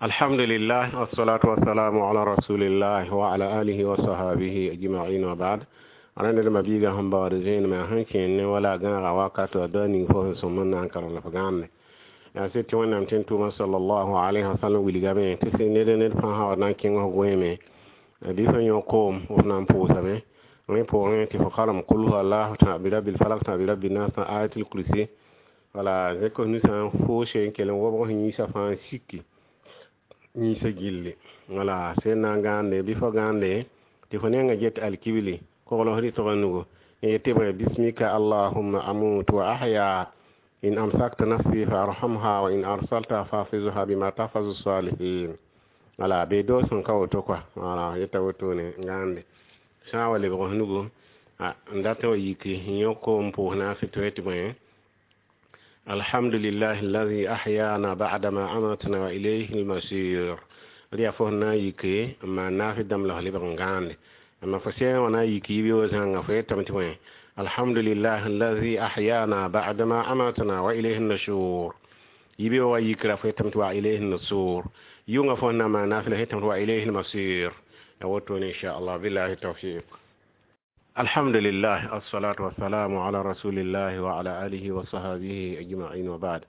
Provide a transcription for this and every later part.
Alhamdulillah, wassalatu wassalamu ala rasulillah wa ala alihi wa sahbihi ajma'in, wa ba'd. Rãnd d mabiiga sẽn baood zẽenemã sẽn kẽen ne wala gãaga wakato a da ning fo sẽn sõm n na n karem la f gãande yaa sɩd tɩ Wẽnnaam tẽn tʋʋmã sallallahu alayhi wa sallam wilgame tɩ sɩ ned fãa sã wa na n kẽng f goeeme bɩ fo yõ koom f na n pʋʋsame rẽ pʋgẽ tɩ fo karem kul huwa allahu tã bi rabbil falak tã bi rabbi nas tã ayatul kursi wala zẽk f nusã n foose n kell n wobg f yĩnsã fãa n siki yĩnsã gilli wala sẽn na n gãande bɩ fo gãande tɩ fo nengã get alkibli kogl f rɩtg nugu n yetɩ bõe bismika allahumma amutu wa ahya in amsakta nafsi fa arhamha wa in arsalta fahfizha bima tahfazu salihin wala be doos sẽn ka woto kɔa wala yeta wotone n gãande sã n wa lebg f nugu n dat wa yiki n yõ koom pʋʋs naase tɩ tɩ bõe alhamdulillahi alladhi ahyana ba'dama amatna wa ilayhi almasir rɩ yaa fo sẽn na n yike n maan naasɩ dãmb la f lebg n gãande amma fo sẽn wã na n yik yibeoog zãnga fo yetame tɩ bõe alhamdulillahi alladhi ahyana ba'dama amatna wa ilayhi nushur yibeoogã yikra fo yetame tɩ wa ilayhi nusur yʋngã fo sẽn na n maan naasɩ la fo yetame tɩ wa ilayhi almasir ya wotone inchallah billahi tawfiq. Alhamdulillah, assalatu wassalamu ala rasulillahi wa ala alihi wa sahbihi ajma'in, wa ba'd.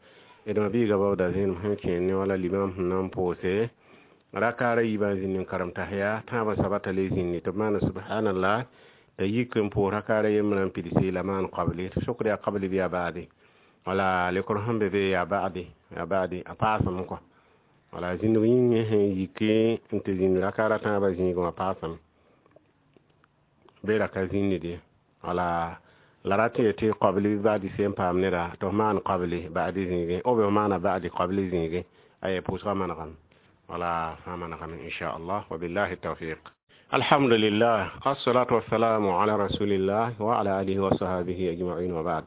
D mabiiga baooda zẽenem sẽn kẽen ne wala limam sẽn na n pʋʋse rakaara yiibã zĩnd n karem tahiya tãabã sabata le zĩndi tɩ b maana subhanallah t'a yik n pʋʋs rakaara yembrã n pidsi la maan qabli tɩ sokd yaa qabli bɩ yaa baadi wala lekr sẽn be be yaa baadi yaa baadi a paasame kɔ wala zĩndg yĩngẽ sẽn yiki n tɩ zĩnd rakaara tãabã zĩigẽ wã paasame be ra ka zĩndde wala la rat n yetɩ qabli baadi sẽn paam neda tɩ f maan qabli baadi zĩigẽ b f maana baadi qabli zĩigẽ aya pʋʋsgã manegame wala fãa manegame inchallah wa billahi tawfiq. Alhamdulillah, assalatu wassalamu ala rasulillah wa ala alihi wa sahbihi ajma'in, wa ba'd.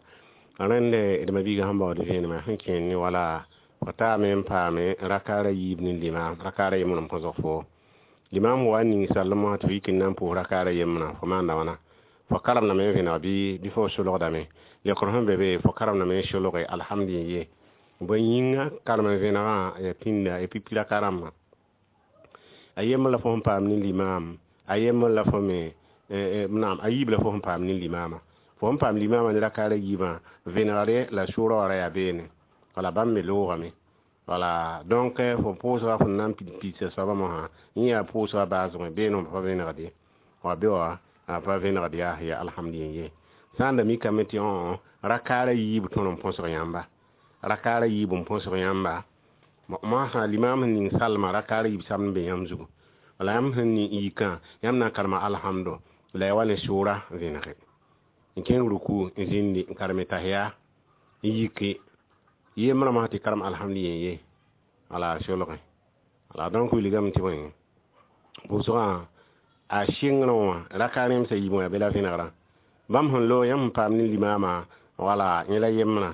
Rẽnde d mabiiga sẽn baood vẽenemã sẽn kẽen ne wala fo taame n paame rakaara yiib ne limam rakaara yembr n põsg fo limam wa n ning sallem wã tɩ f yik n na n pʋʋs rakaara yembrã fo maanda wãna fo karemdame n vẽneg bɩ fo solgdame lekr sẽn be be fo karemdame n solge alhamdulillah bõe yĩnga karem n vẽnegã ya pĩnda ya pipi raka rãmbã a yembr la fo sẽn paam ne limam a yembr la fo me naam a yiib la fo sẽn paam ne limama fo sẽn paam limama ne rakaara yiibã vẽnegre la sʋʋrã wã ra yaa beene wala bãmb me loogame wala donc fo pʋʋsga fo na n pidsa soabã mosã yẽ yaa pʋʋsga baasgẽ beene pa vẽnegd ye wa be wa a pa vẽnegd yaa ya alhamdulillah ye sã n da mikame tɩ rakaara yiib tõr n põsg yãmba rakaara yiib n põsg yãmba moasã limam sẽn ning salma rakaara yiib samd n be yãmb zugu wala yãmb sẽn ning yikã yãmb na n karema alhamdo la ya wa ne sʋʋra vẽnege n kẽng ruku n zĩndi n kareme tahiya n yike yembrã mosã tɩ karem alhamdu ye wala solgẽ wala donc wilgame tɩ bõe pʋʋsgã a sɩngrẽ wã raka rẽmsã yiib wã yaa be la vẽnegrã bãmb sẽn loog yãmb sẽn paam ne limaamã wala yẽ la yembrã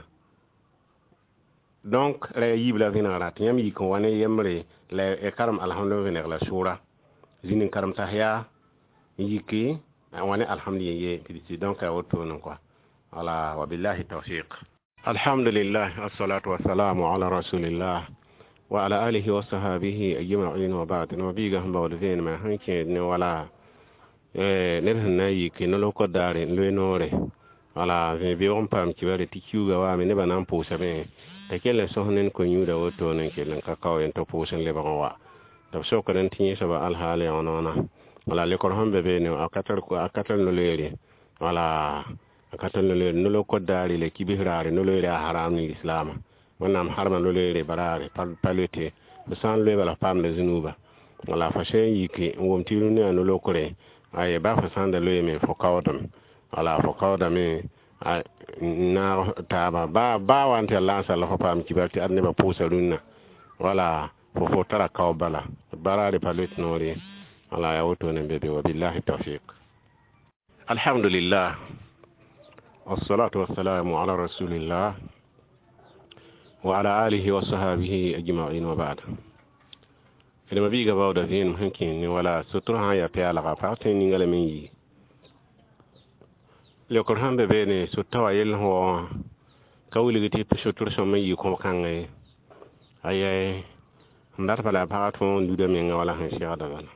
donc ra ya yiib la vẽnegrã tɩ yãmb yik n wa ne yembre la y karem alhamdu vẽneg la sʋʋra zĩnd n karem tahiya n yiki n wa ne alhamdu ye pidsi donc a wotone kɔa wala wa billahi tawfiq. Alhamdulillah, assalatu wassalamu ala rasulillah wa ala alihi wa sahbihi ajma'in, wa ba'd. No biiga sẽn baood vẽenemã sẽn kẽed ne wala ned sẽn na n yik no-lokd daare n loe noore wala vẽ beoog n paam kibare tɩ kiuuga waame nebã na n pʋʋsame t'a kell n sõs ned ko-yũuda wotone n kell n ka kao yen tɩ pʋʋs n lebg n wa tɩ b sokd n tɩ yẽ soaba alhaal yã wãna wala lekr sẽn be beene a ka tar no-loeere wala a ka tar no-loeere no-lokd daare la kibs raare no-loeere a haram ne lislaamã Wẽnnaam harma no-loeere baraare pa loete b sã n loe bala f paamda zĩnuuba wala fa sẽn n yiki n wom tɩ rũndã yaa no-lokre aye ba fo sãn da loeeme fo kaoodame wala fo kaoodame n naag taaba ba wa n tɩ yaa laasã la fo paam kibar tɩ ad nebã pʋʋsa rũnnã wala fo tara kao bala baraare pa loet noor ye wala yaa wotone n be be wa billahi tawfiq. Alhamdulillah, wassalatu wassalamu ala rasulillah wa ala alihi wa sahbihi ajma'in, wa ba'd. D mabiiga baooda vẽenem sẽn kẽen ne wala sotr sã n yaa pɛɛlga pag tõe n ninga lame n yi lekr sẽn be beene sota wa yell sẽn wa wã ka wilg tɩ sotr sõm n yɩ kõb-kãnga ye aya n dat bala pagã tõog n luda menga wala sẽn segda bala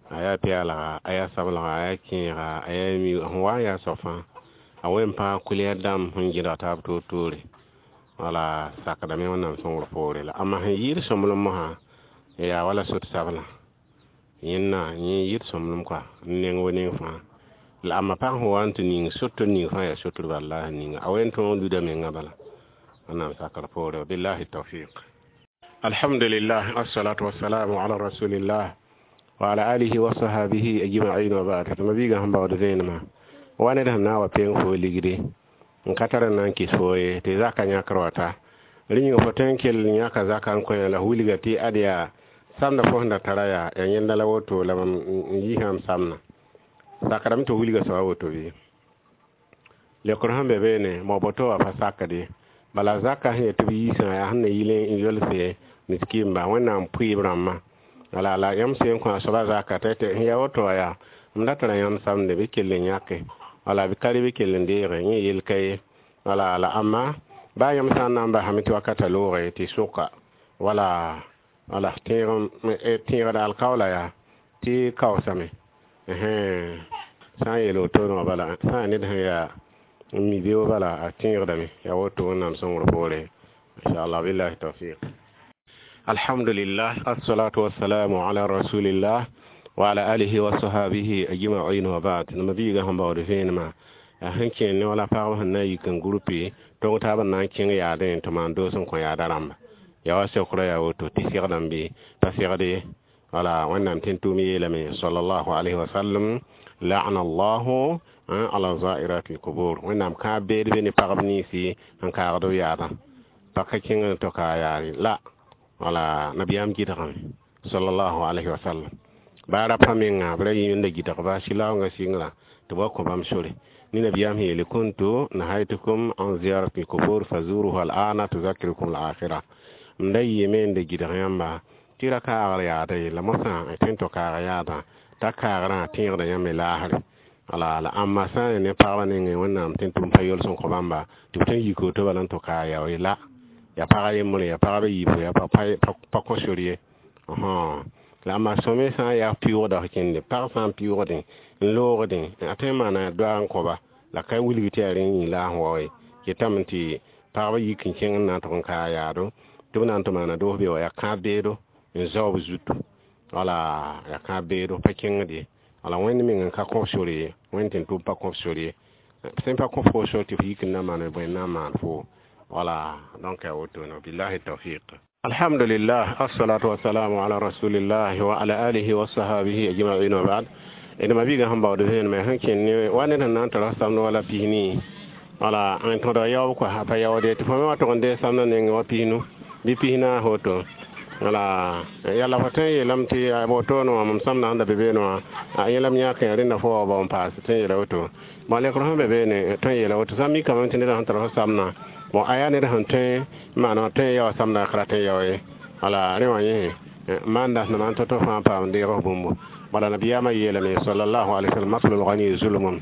a yaa peelga a yaa sablga a yaa kẽega a yaa mi sẽn wa n yaa soab fãa a wen pãag kʋlɛɛr dãmb sẽn gẽdg taab toor-toore wala sakdame wẽnnaam sõngr poore la amma sẽn yɩɩd sõmblem mosã yaa wala sot sablã yẽnna yẽ yɩɩd sõmblem koa n neng wa neng fãa la amma pag sẽn wa n tɩ ning sotr ning fãa yaa sotr bala la sẽn ninga a wen tõog n luda menga bala wẽnnaam sakr poore billahi tawfiq. Alhamdulillah, assalatu wassalamu ala rasulillah wa ala alihi wa sahabihi ajma'in wa ba'd. Tɩ ma-biigã sẽn baood vẽenemã wa ned sẽn na n wa peng fo ligdi n ka tar n na n kɩs fo ye tɩ zaka yãkr wa ta rẽ yĩnga fo tõe n kell n yãka zaka n kõ la f wilga tɩ ad yaa samda fo sẽn da tara yaa ya yẽnda la woto la mam n yiisã m samna sakdame tɩ f wilga soaba woto bɩ lekr sẽn be beene mo boto wa pa sakde bala zaka sẽn yet tɩ b yiisã yaa sẽn na yɩl n yolse miskimba wẽnnaam pʋɩɩb rãmbã wala la yãmb sẽn kõ a soaba zaka t'a tɩ sẽn yaa woto wa yaa m da tara yãmb samde bɩ kell n yãke wala bɩ ka bɩ kell n deege yẽ yel ka ye wala la amma baa yãmb sã n na n basame tɩ wakata looge tɩ sʋka wala wala tẽegda alkaoola yaa tɩ kaoosame sã n yeel wotone wã bala sã n ned sẽn yaa n mi beoog bala a tẽegdame yaa woto wẽnnaam sõngr poore inchallah billahi tawfiq. Alhamdulillah, assalatu wassalamu ala rasulillah wa ala alihi wa sahabihi ajma'in wa ba'd. Nama biiga sẽn baood vẽenemã yaa sẽn kẽer ne wala pagb sẽn na n yik n grupe tong taab n na n kẽng yaadẽ tɩ maan doos n kõ yaada rãmba yaa wa seokrã yaa woto tɩ segdame bɩ pa segd ye wala wẽnnaam tẽn tʋʋm yeelame sallallahu alayhi wa sallam la'ana allahu ala zairati lqubur wẽnnaam kãab beed be ne pagb ninsi n kaagd b yaadã pa ka kẽng n tɩ ka yaare la wala nabiyaam gɩdgame sallallahu alayhi wa sallam baa rapa menga b ra yĩmda gɩdgba sɩlaoongã sɩngrã tɩ b wa kõ bãmb sore ni nabiyaam sẽn yeele kuntu nahaytukum an ziyarati lqubur fazuruhu al'ana tuzakirukum al-akhira m da yɩɩme n da gɩdg yãmba tɩ ra kaagr yaada ye la mosã tõe n tɩ kaag yaadã t'a kaagrã tẽegda yãmb me laasre wala la ãmba sã n ne pagbã nengẽ wẽnnaam tẽn tʋm pa yols n kõ bãmba tɩ b tõe n yik woto bala n tɩ kaag yao ye la ya pagã yembre ya pagba yiibu ya pa kõ sor ye la ãmba sõme sã n yaa pɩʋʋgda f kẽnde pag sã n pɩʋʋgdẽ n loogdẽ a tõe n maana doaag n kõba la ka wilg tɩ yaa rẽ yĩng la a sẽn wao ye ketame tɩ pagba yik n kẽng n na n tʋg n kaag yaado tɩ b na n tɩ maana doos be wa yaa kãab beedo n zao b zutu wala yaa kãab beedo pa kẽngd ye wala wẽnd meng n ka kõf sor ye wẽnd tɩ n tʋm pa kõf sor ye sẽn pa kõf fo sor tɩ f yik n na maan bõe n na n maan fo wala donc ya woto billahi tawfiq. Alhamdulillah, assalatu wassalamu ala rasulillah wa ala alihi wa sahabihi ajma'in wa ba'd. D ma biiga sẽn baood vẽenemã sẽn kẽnd ne wa ned sẽn na n tara samd wala pisni wala n tõdg yaoob koa pa yaoode tɩ fo me wa tʋg n deeg samdã nengẽ wa pisnu bɩ pisnaas woto wala yalla fo tõe n yeelame tɩ wotone wã mam samdã sẽn da be beene wã a yẽlame yãk rẽnda fo wa bao n paas tõe n yeela woto bõn lekr sẽn be beene tõe n yeela woto sã n mikame tɩ ned sẽn tar fo samdã bon a yaa ned sẽn tõe n maan tõe n yaoa samdã ka rat n yao ye wala rẽ wã yẽ maanda sẽn maan tõ-tõ fãa paam deeg f bũmbu bala nabiyaamã yeelame sallallahu alaihi wasallam matlul ghani zulmun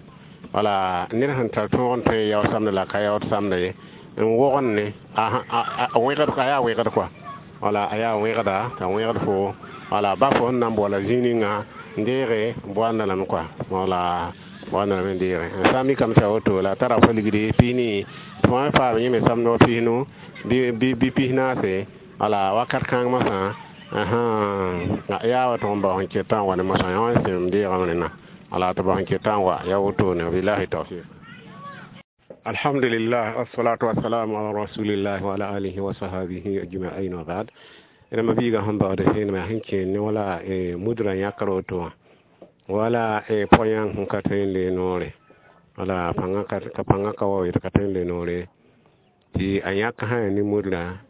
wala ned sẽn tar tõog n tõe n yao samda la ka yaood samda ye n wogend ne a wẽgd a yaa wẽgd koa wala a yaa wẽgda t'a wẽgd fo wala ba fo sẽn na n boala zĩig ninga n deege boanda lame koa wala boanda lame n deege sã n mikame tɩ a woto la a tara fo ligdi pisni tɩ fo faam yẽ me samd wa pisnu bɩ pisnaase wala wakat kãng mosã yaa wa tʋg n bao sẽn ketã n wa ne mosã yã wã sẽm deegame rẽna wala tɩ bao sẽn ketã n wa ya wotone billahi tawfiq. Alhamdulillah, wassalatu wassalamu ala rasulillah wa ala alihi wa sahabihi ajma'in wa ba'd. Rãmba biigã sẽn baood vẽenemã sẽn kẽer ne wala mudrã yãkr woto wã wala pʋgã sẽn ka tõe n le noore wala ka pãngã ka wa ka tõe n le noore tɩ a yãk sã ne mudrã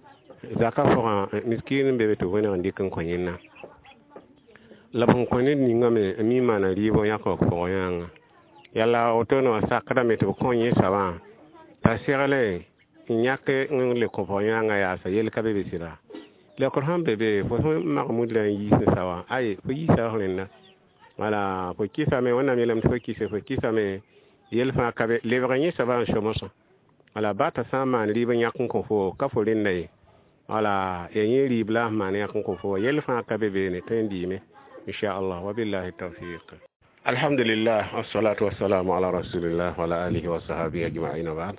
zaka pʋgã miskiin n be be tɩ wẽneg n dɩk n kõ yẽnna la b sẽn kõ ned ningã me n mi maana rɩɩb yãk pʋgã yãnga yala wotone wã sakdame tɩ b kõ yẽ soabã t'a segle n yãk n le kõ pʋg yãnga yaasa yel ka be be sɩda lekr sẽn be be fo sẽn mag mudrã n yiis n sa wã ay fo yiisa f rẽnda wala fo kɩsame wẽnnaam yeelame tɩ fo kɩse fo kɩsame yel fãa ka be lebg yẽ soabã n so mosã wala ba t'a sã n maan rɩɩb n yãk n kõ fo ka fo rẽnda ye Wala ya yẽ rɩɩb la sẽn maan yãk n kõ fo wa yell fãa ka be beene tõe n dɩɩme inchallah. Wabillahi tawfiq. Alhamdulillah, wassalatu wassalamu ala rasulillah wa ala alihi wa sahbihi ajma'in wa ba'd.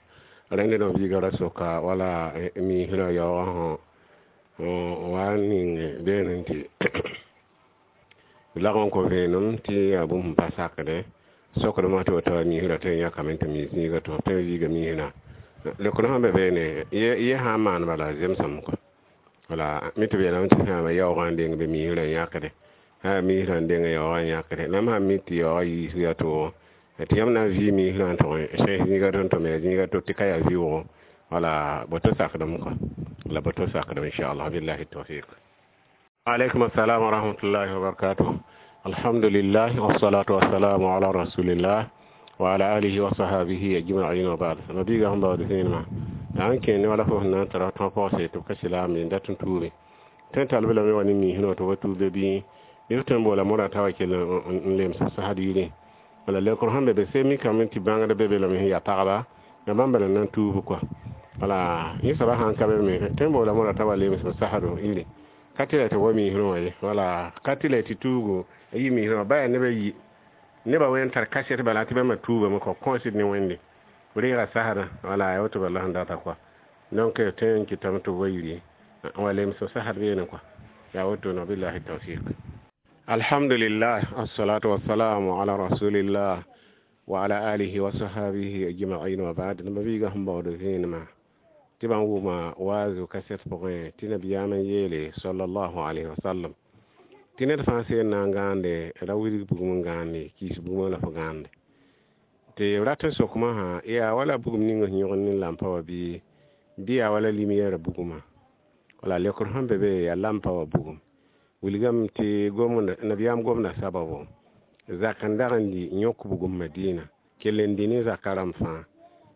Rẽnd no biiga ra soka wala miisrã yaoogã sõ wa n ning beene tɩ lag n kõ vẽenem tɩ yaa bũmb sẽn pa sakdẽ sokdmã tɩ woto miisrã tõe n yãkame tɩ mi zĩiga tɩ f tõe n viiga miisrã lekr sẽn be beene ye sã n maan bala zemsem kɔ wala mi tɩ b yeelame tɩ sãama yaoogã n deng be miisrã n yãkde sã miisrã n deng yaoogã n yãkde la m sãn mi tɩ yaoogã yiisg yaa toogo tɩ yãmb na n vɩ miisrã n tʋg sẽs zĩiga tõnd tʋm yaa zĩiga to tɩ ka yaa vɩʋʋgo wala boto sakdem kɔ la boto sakdem inchallah. Billahi tawfiq. Aleykum assalam wa rahmatullahi wa barakatuh. Alhamdulillah, wassalatu wassalamu ala rasulillah wa ala alihi wa sahabihi ajma'in wa ba'd. Mabiga sẽn baood zẽenema la n kẽene wala fo sẽn na n tara tõa pɔgse tɩ b ka silaame n dat n tuuge tõe n tall b lame wa ne miisrã tɩ wa tuub bɩ bɩ f tõe n boola modã t'a wa kell n lems sasd yirẽ wala lekr sẽn be be se mikame tɩ bãngd be be lame sẽn yaa pagba ya bãmb bala na n tuub kɔa wala yẽ soaba sãn ka be me tõe n boola modã t'a wa lems sasdo yire ka tɩ la tɩ wa miisrã wã ye wala ka tɩ la tɩ tuugo a yi miisrã wã ba yaa nebã yi nebã wẽnd tar kasɛt bala tɩ bãmba tuubame kɔ kõosd ne Wẽnde reega sasdã wala ya woto bala sẽn data kɔa donc tõe n kɩtame tɩ b wa yiri n wa lems sasd beene kɔa yaa woto no. Billahi tawfiq. Alhamdulillah, assalatu wassalamu ala rasulillah wa ala alihi wa sahabihi ajma'in wa ba'd. Mabiiga sẽn baood vẽenemã tɩ bãn wʋma waazu kasɛt pʋgẽ tɩ nabiyaam n yeele sallallahu alayhi wa sallam tɩ ned fãa seen na n gãande ra wilg bugum n gãande kiis bugmã la fo gãande tɩ b rat n sokmã sã yaa wala bugum ning sẽn yõgd ne lampa wã bɩ yaa wala lumière bugumã wala lekr sẽn be be yaa lampa wã bugum wilgame tɩ nabiyaam gomda sababo zak n dag n di yõk bugum Madina kell n dɩ ne zaka rãmb fãa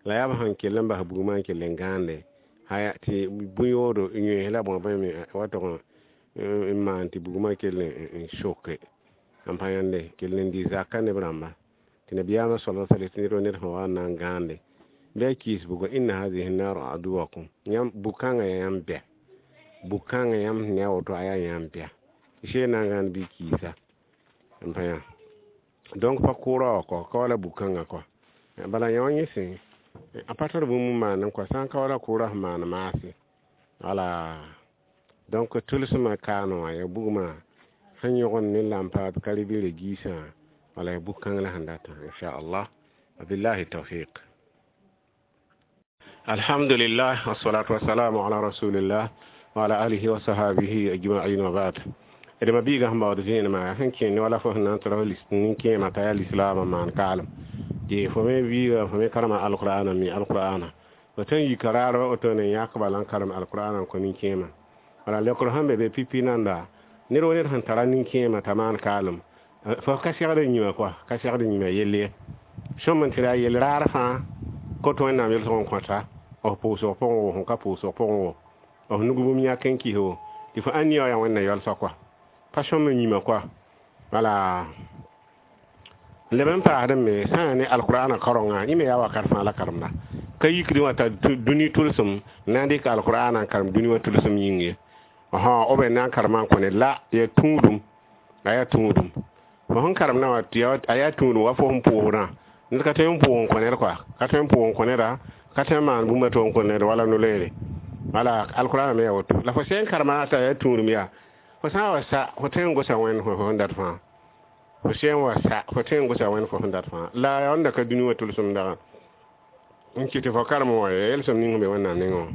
la yaa b sẽn kell n bas bugumã n kell n gãande haya tɩ bũ-yoodo yões la bõe bõe me wa tʋg n maan tɩ bugumã kell n soke n pa yãnde kell n dɩ zaka neb rãmba tɩ nabiyaamã sala sala tɩ ned wa ned sẽn wa n na n gãande bɩ a kiis buga inna hadihi nar aduwakum yãmb bug-kãngã yaa yãmb bɛ bug-kãngã yãmb sẽn ne a woto a yaa yãmb bɛ tɩ na n gãand bɩ kiisa n pa yã donc pa kʋʋra wã kɔ ka wala bug-kãngã kɔ bala yã wã yẽ sẽ a pa tar bũmb n maan n kɔ sã n ka wala kʋʋra sẽn maan maase wala donc tʋlsmã kaane wã ya bugmã sẽn yõgd ne lampa ka ribɩrã giisã wala ya bug-kãng la sẽn datã inchallah. Wabillahi tawfiq. Alhamdulillah, wassalatu wassalamu ala rasulillah wa ala alihi wa sahabihi ajma'in wa ba'd. D mabiiga sẽn baood vẽenemã sẽn kẽnd wala fo sẽn na n tara nin-kẽemã t'a yaa lislaamã maan kaalem tɩ fo me biiga fo me karema alqur'ana mi alqur'ana fo tõe n yika raar woto ne yãk bala n karem alqur'ana n kõ nin-kẽemã wala lekr sẽn be be pipi nanda ned wa ned sẽn tara nin-kẽemã t'a maan kaalem fo ka segd n yĩmã kɔa ka segd n yĩmã yell ye sõm n tɩ ra yell raar fãa kot Wẽnnaam yelsg n kõta f pʋʋsg pʋgẽ wo sẽn ka pʋʋsg pʋgẽ wo f nug bũmb yãk n kis wo tɩ fo ãn nia yaa Wẽnna yalsã kɔa pa sõm n yĩmã kɔa wala leb n paasd me sã n yaa ne alqur'ana kaorenga yẽ me yaa wakat fãa la karemda ka yikd wã t'a dũni tʋlsem na n dɩk alqur'ana n karem dũni wã tʋlsem yĩng ye b na n karema n kõ ned la yaa tũudum a yaa tũudum fo sẽn karemdã wã a yaa tũudum wa fo sẽn pʋʋsdã ned ka tõe n pʋʋg n kõ ned kɔa ka tõe n pʋʋg n kõ neda ka tõe n maan bũmb a to n kõ ned wala no-loeere wala alqur'ana me yaa woto la fo sẽn karema t'a yaa tũudum yaa fo sã n wa sa fo tõe n gosa Wẽnd fo sẽn dat fãa fo sẽn wa sa fo tõe n gosa Wẽnd fo sẽn dat fãa la yaa wẽnda ka dũni wã tʋlsem dagã n kɩ tɩ fo karem wã yelsem ning sẽn be Wẽnnaam nengẽ wã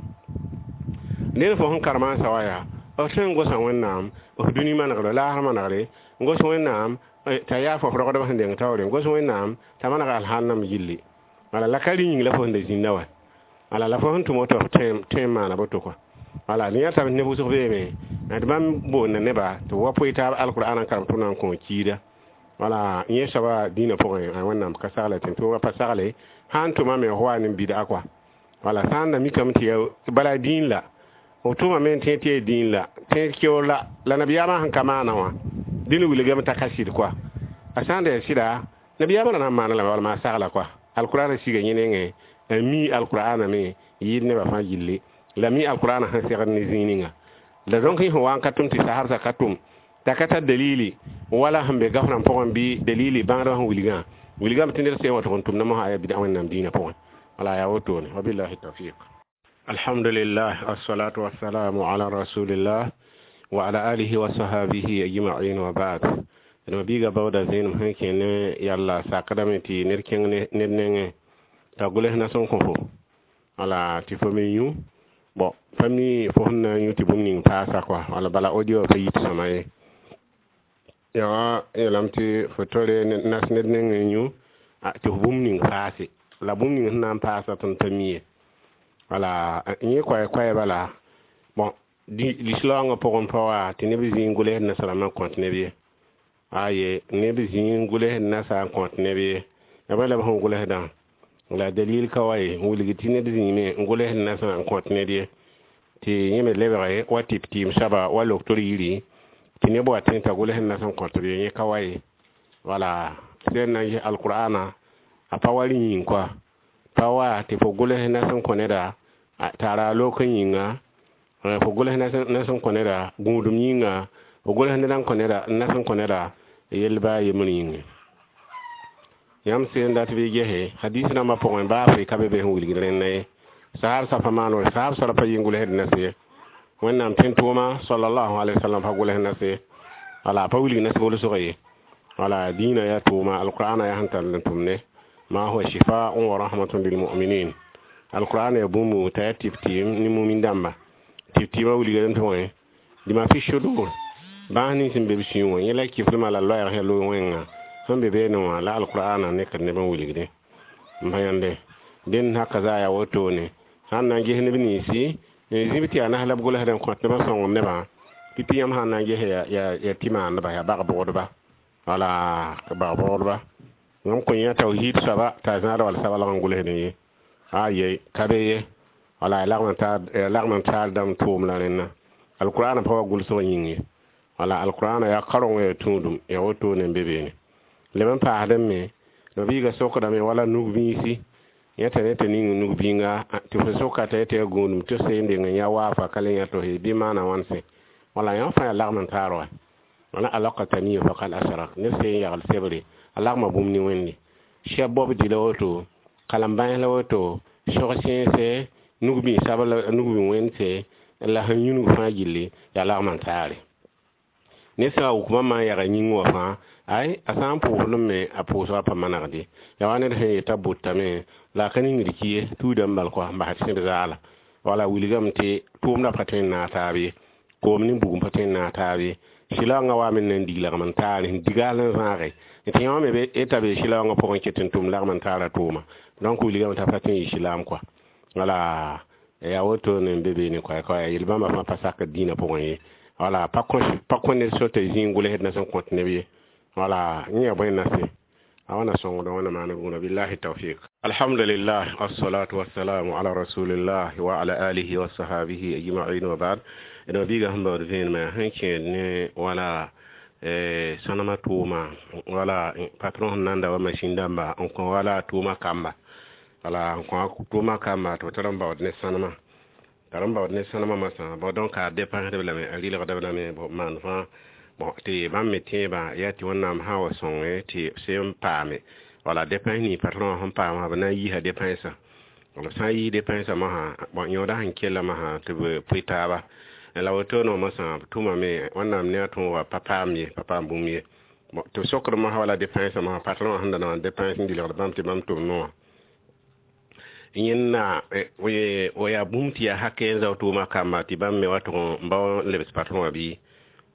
ned fo sẽn karema n sa wa yaa f tõe n gosa Wẽnnaam f dũni manegre laasr manegre n gos Wẽnnaam t'a yaa fo f rogdb sẽn deng taoore n gos Wẽnnaam t'a maneg alhannam yilli wala la ka rɩ yĩng la fo sẽn da zĩnda wa wala la fo sẽn tʋm woto f tõe n maana boto kɔa wala yã tame neb wʋsg beeme d bãmb boonda neba tɩ wa poe taab alqur'ana n karem tɩ b na n kõ kiida wala yẽ soaba dĩinã pʋgẽ Wẽnnaam ka sagle tɩ tʋʋga pa sagle sã n tʋmame f wa ne bɩd'a kɔa wala sã n da mikame tɩ ya bala dĩin la f tʋmame n tẽ tɩ yaa dĩin la tẽ keoor la la nabiyaamã sẽn ka maana wã dĩn wilgame t'a ka sɩd kɔa a sã n da yaa sɩda nabiyaamã ra na n maana lame wala maa sagla kɔa alqur'ana siga yẽ nengẽ a mi alqur'ana me yɩɩd nebã fãa gilli. La mi alqur'ana sẽn segd ne zĩig ninga la donc yẽ sẽn wa n ka tʋm tɩ sahabsã ka tʋm t'a ka tar dalili wala sẽn be gaf rãmb pʋgẽ bɩ dalili bãngdbã sẽn wilgã wilgame tɩ ned sẽn wa tʋg n tʋmda mosã yaa bɩda Wẽnnaam dĩinã pʋgẽ. Wala yaa wotone, wabillahi tawfiq. Alhamdulillah, assalatu wassalamu ala rasulillah wa ala alihi wa sahabihi ajma'in, wa ba'd. D mabiiga baooda zẽenem sẽn kẽ ne yalla sakdame tɩ ned kẽng ned nengẽ t'a gʋls nas n kõ fo wala tɩ fo me yũ. Bon, pa mi fo sẽn na n yũ tɩ bũmb ning paasa kɔa wala bala audio pa yit sõma ye. Yaa yeelame tɩ fo tore nas ned nengẽ n yũ tɩ f bũmb ning paase la bũmb ning sẽn na n paasa tõnd pa mi ye. Wala yẽ koɛɛ bala. Bon, lislaoongã pʋgẽ pa wa tɩ neb zĩig gʋls nasrãmbã n kõt neb ye. Aye, neb zĩig gʋls nasa n kõt neb ye. Ya bõe la b sẽn gʋlsdã la dalil ka wa ye n wilg tɩ ned zĩime n gʋls nasã n kõt ned ye tɩ yẽ me lebge wa tɩp tɩɩm soaba wa loktor yiri tɩ neb wa tẽ t'a gʋls nas n kõt b ye. Yẽ ka wa ye. Wala sẽn na n ges alqur'ana a pa wa rẽ yĩng koa pa wa tɩ fo gʋls nas n kõ neda tara lok n yĩnga, fo gʋls nas n kõ neda gũudum yĩnga, fo gʋls ned n kõ neda nas n kõ neda yell baa yembr yĩnge. Yãmb sẽn dat bɩ gese hadis rãmbã pʋgẽ baa fo ka be be sẽn wilgd rẽnda ye. Sahab sa pa maan wã, sahab sara pa yɩ n gʋlsd nas ye. Wẽnnaam tẽn-tʋʋma sallallahu alaihi wasallam pa gʋls nas ye. Wala pa wilg nas gʋlsg ye. Wala dĩinã yaa tʋʋma, alqur'ana yaa sẽn tar n tʋm ne ma huwa shifaa'un wa rahmatun lilmu'minin. Alqur'ana yaa bũmb t'a yaa tɩp-tɩɩm ne mumin dãmba. Tɩp-tɩɩmã wilgdame tɩ wẽ lima fi sudur bãas nins sẽn be b sũur wã yẽ la kiflmã la loɛɛg sẽn loog wẽnga sẽn be beene wã la alqur'ana nekd neb n wilgde n pa yãnde dẽnd haka zaa yaa wotone. Sãn na n ges neb ninsi zĩb tɩ yaa nas la b gʋlsd n kõt nebã sõngem nebã pipi yãmb sãn na n ges yaa tɩ maandba yaa bag-bʋgdba. Wala bag-bʋgdba yãmb kõ yã tawhid soaba t'a zãad wall sabalg n gʋlsd ye. Aye, ka be ye. Wala yaa lagm n taar dãmb tʋʋm la rẽnna alqur'ana pa wa gʋlsg yĩng ye. Wala alqur'ana yaa kareng yaa tũudum yaa wotone n be beene. Leb n paasdẽ me mabiiga sokdame wala nug-bĩisi yẽ t'a t'a ning nug-bĩnga tɩ fo soka t'a yetɩ yaa gũudum tɩ f seen deng n yã waafa ka le yã to bɩ maana wãnse. Wala yã fãa yaa lagm n taar wa wala alaka taniya faqad asrak ned seen yagl sebre a lagma bũmb ne Wẽnde sɛb bob dɩ la woto kalem bães la woto sog sẽnse nug-bĩis sabl nug-bĩ wẽndse la sẽn yũnug fãa gilli yaa lagm n taare. Ned sã n wʋk bãmb n yaga yĩng wã fãa ay a sã n pʋʋsdẽ me a pʋʋsgã pa manegde yaa wa ned sẽn yeta bʋtame la a ka ningd ki ye tuudame bal kɔa n bas tɩ sẽd zaala. Wala wilgame tɩ tʋʋmdã pa tõe n naag taab ye, koom ne bugum pa tõe n naag taab ye. Sɩlaoongã waame n na n dig lagm n taare sẽn digaal n zãage tɩ yã wã me t'a be sɩlaoongã pʋgẽ ket n tʋm lagm n taara tʋʋma. Donc wilgame t'a pa tõe n yɩ sɩlaam kɔa. Wala yaa wotone n be beene koɛ yel-bãmba fãa pa sakd dĩinã pʋgẽ ye. Wala pa kõ ned so t'a zĩig gʋlsd na sẽn kõt neb ye. Wala yẽ yaa bõe nase a wãna sõngd wãna maan bũra. Billahi tawfiq. Alhamdulillah, wassalatu wassalamu ala rasulillah wa ala alihi wa sahabihi ajma'in, wa ba'd. D mabiiga sẽn baood vẽenemã sẽn kẽed ne wala sõnema tʋʋma wala patron sẽn nan da wa machine dãmba n kõ wala tʋʋma kamba wala n kõ tʋʋma kamba tɩ b tar n baood ne sõnema tar n baood ne sõnema masã. Bon, donc a dépensdb lame a rɩlgdb lame bon maan fãa. Bon, tɩ bãmb me tẽebã yaa tɩ Wẽnnaam sã wa sõnge tɩ sẽn paame wala dépense ning patron sẽn paam b na n yiisa dépensã. B sã n yiis dépensã mosã, bon, yõoda sẽn kella mosã tɩ b pʋɩ taaba la wotone wã mosã b tʋmame Wẽnnaam ne a tõog wa pa paam ye, pa paam bũmb ye. Bon, tɩ b sokd mosã wala dépensã mosã patron wã sẽn da na n dépense n dɩlgd bãmb tɩ bãmb tʋm noã yẽnna o yaa bũmb tɩ yaa hakɛ n zao tʋʋma kamba tɩ bãmb me wa tʋg n bao n lebs patron wã bɩ.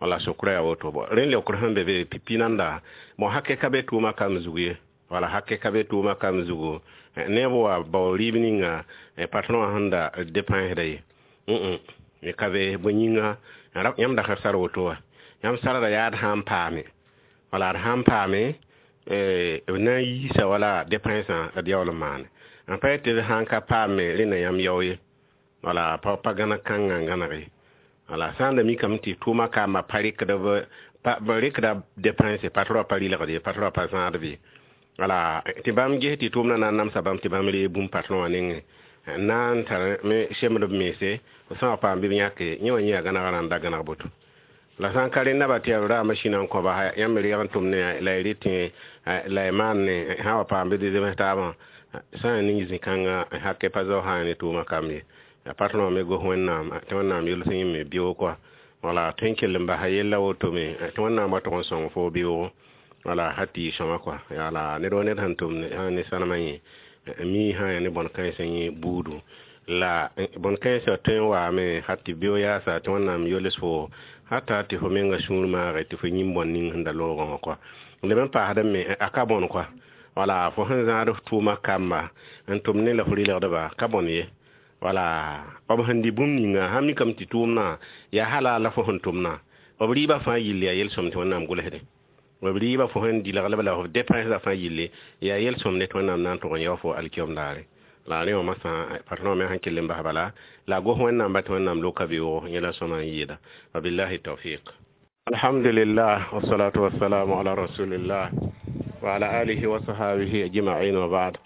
Wala sokrã yaa woto. Bon, rẽnd leokr sẽn be be pipi nanda. Bon, hakɛ ka be tʋʋma kamb zug ye. Wala hakɛ ka be tʋʋma kamb zugu neb wa bao rɩɩb ninga patron wã sẽn da dépensda ye ka be bõe yĩnga yãmb dakr sar woto wã yãmb sarda yaa d sã n paame. Wala d sã n paame b na n yiisa wala dépensã d yaool n maane n pa tɩ d sã n ka paame rẽnda yãmb yao ye. Wala pa gãneg kãngã n gãneg ye. Wala sã n da mikame tɩ tʋʋma kamba pa rɩkd b rɩkda dépense patron pa rɩlgd ye, patron pa zãadb ye. Wala tɩ bãmb ges tɩ tʋʋmdã na n namsa bãmb tɩ bãmb reeg bũmb patron wã nengẽ. Na n tar me semd b mense, f sã n wa paam bɩ b yãke yẽ wã yẽ yaa gãnegã n da gãneg boto. La sã n ka rẽ naba tɩ yaa b raamba sĩna n kõba yãmb me reeg n tʋm ne la y rɩtẽ la y maan ne sã n wa paam bɩ d zems taabã sã n ning zĩ-kãngã hakɛ pa zao sã ne tʋʋmã kamb ye. Ya patron me gos Wẽnnaam tɩ Wẽnnaam yols yẽ me beoog kɔa. Wala tõe n kell n basa yella woto me tɩ Wẽnnaam wa tʋg n sõng fo beoogo, wala ha tɩ y sõma kɔa. Wala ned wa ned sẽn tʋm ne sãnemã yẽ mi sã yaa ne bõn-kãensã yẽ buudu la bõn-kãensã tõe n waame ha tɩ beoog yaasa tɩ Wẽnnaam yols fo hata tɩ fo menga sũur maage tɩ fo yĩm bõn ning sẽn da loogã wã kɔa. Leb n paasdame me a ka bõn kɔa. Wala fo sẽn zãad f tʋʋma kamba n tʋm ne la f rɩlgdba ka bõn ye. Wala b sẽn dɩ bũmb ninga sã mikame tɩ tʋʋmdã yaa hala la fo sẽn tʋmdã b rɩɩbã fãa yɩll yaa yel-sõmd tɩ Wẽnnaam gʋlsdẽ. B rɩɩbã fo sẽn dɩlgl la f dépensã fãa yille yaa yel-sõmde tɩ Wẽnnaam na n tʋg n yao fo alkiom daare. La rẽ wã masã patron me sẽn kell n bas bala la gos Wẽnnaam ba tɩ Wẽnnaam loka beoogo yẽ la sõma n yɩɩda. Wabillahi tawfiq. Alhamdulillah, wassalatu wassalamu ala rasulillah wa ala alihi wa sahabihi ajma'in wa ba'd.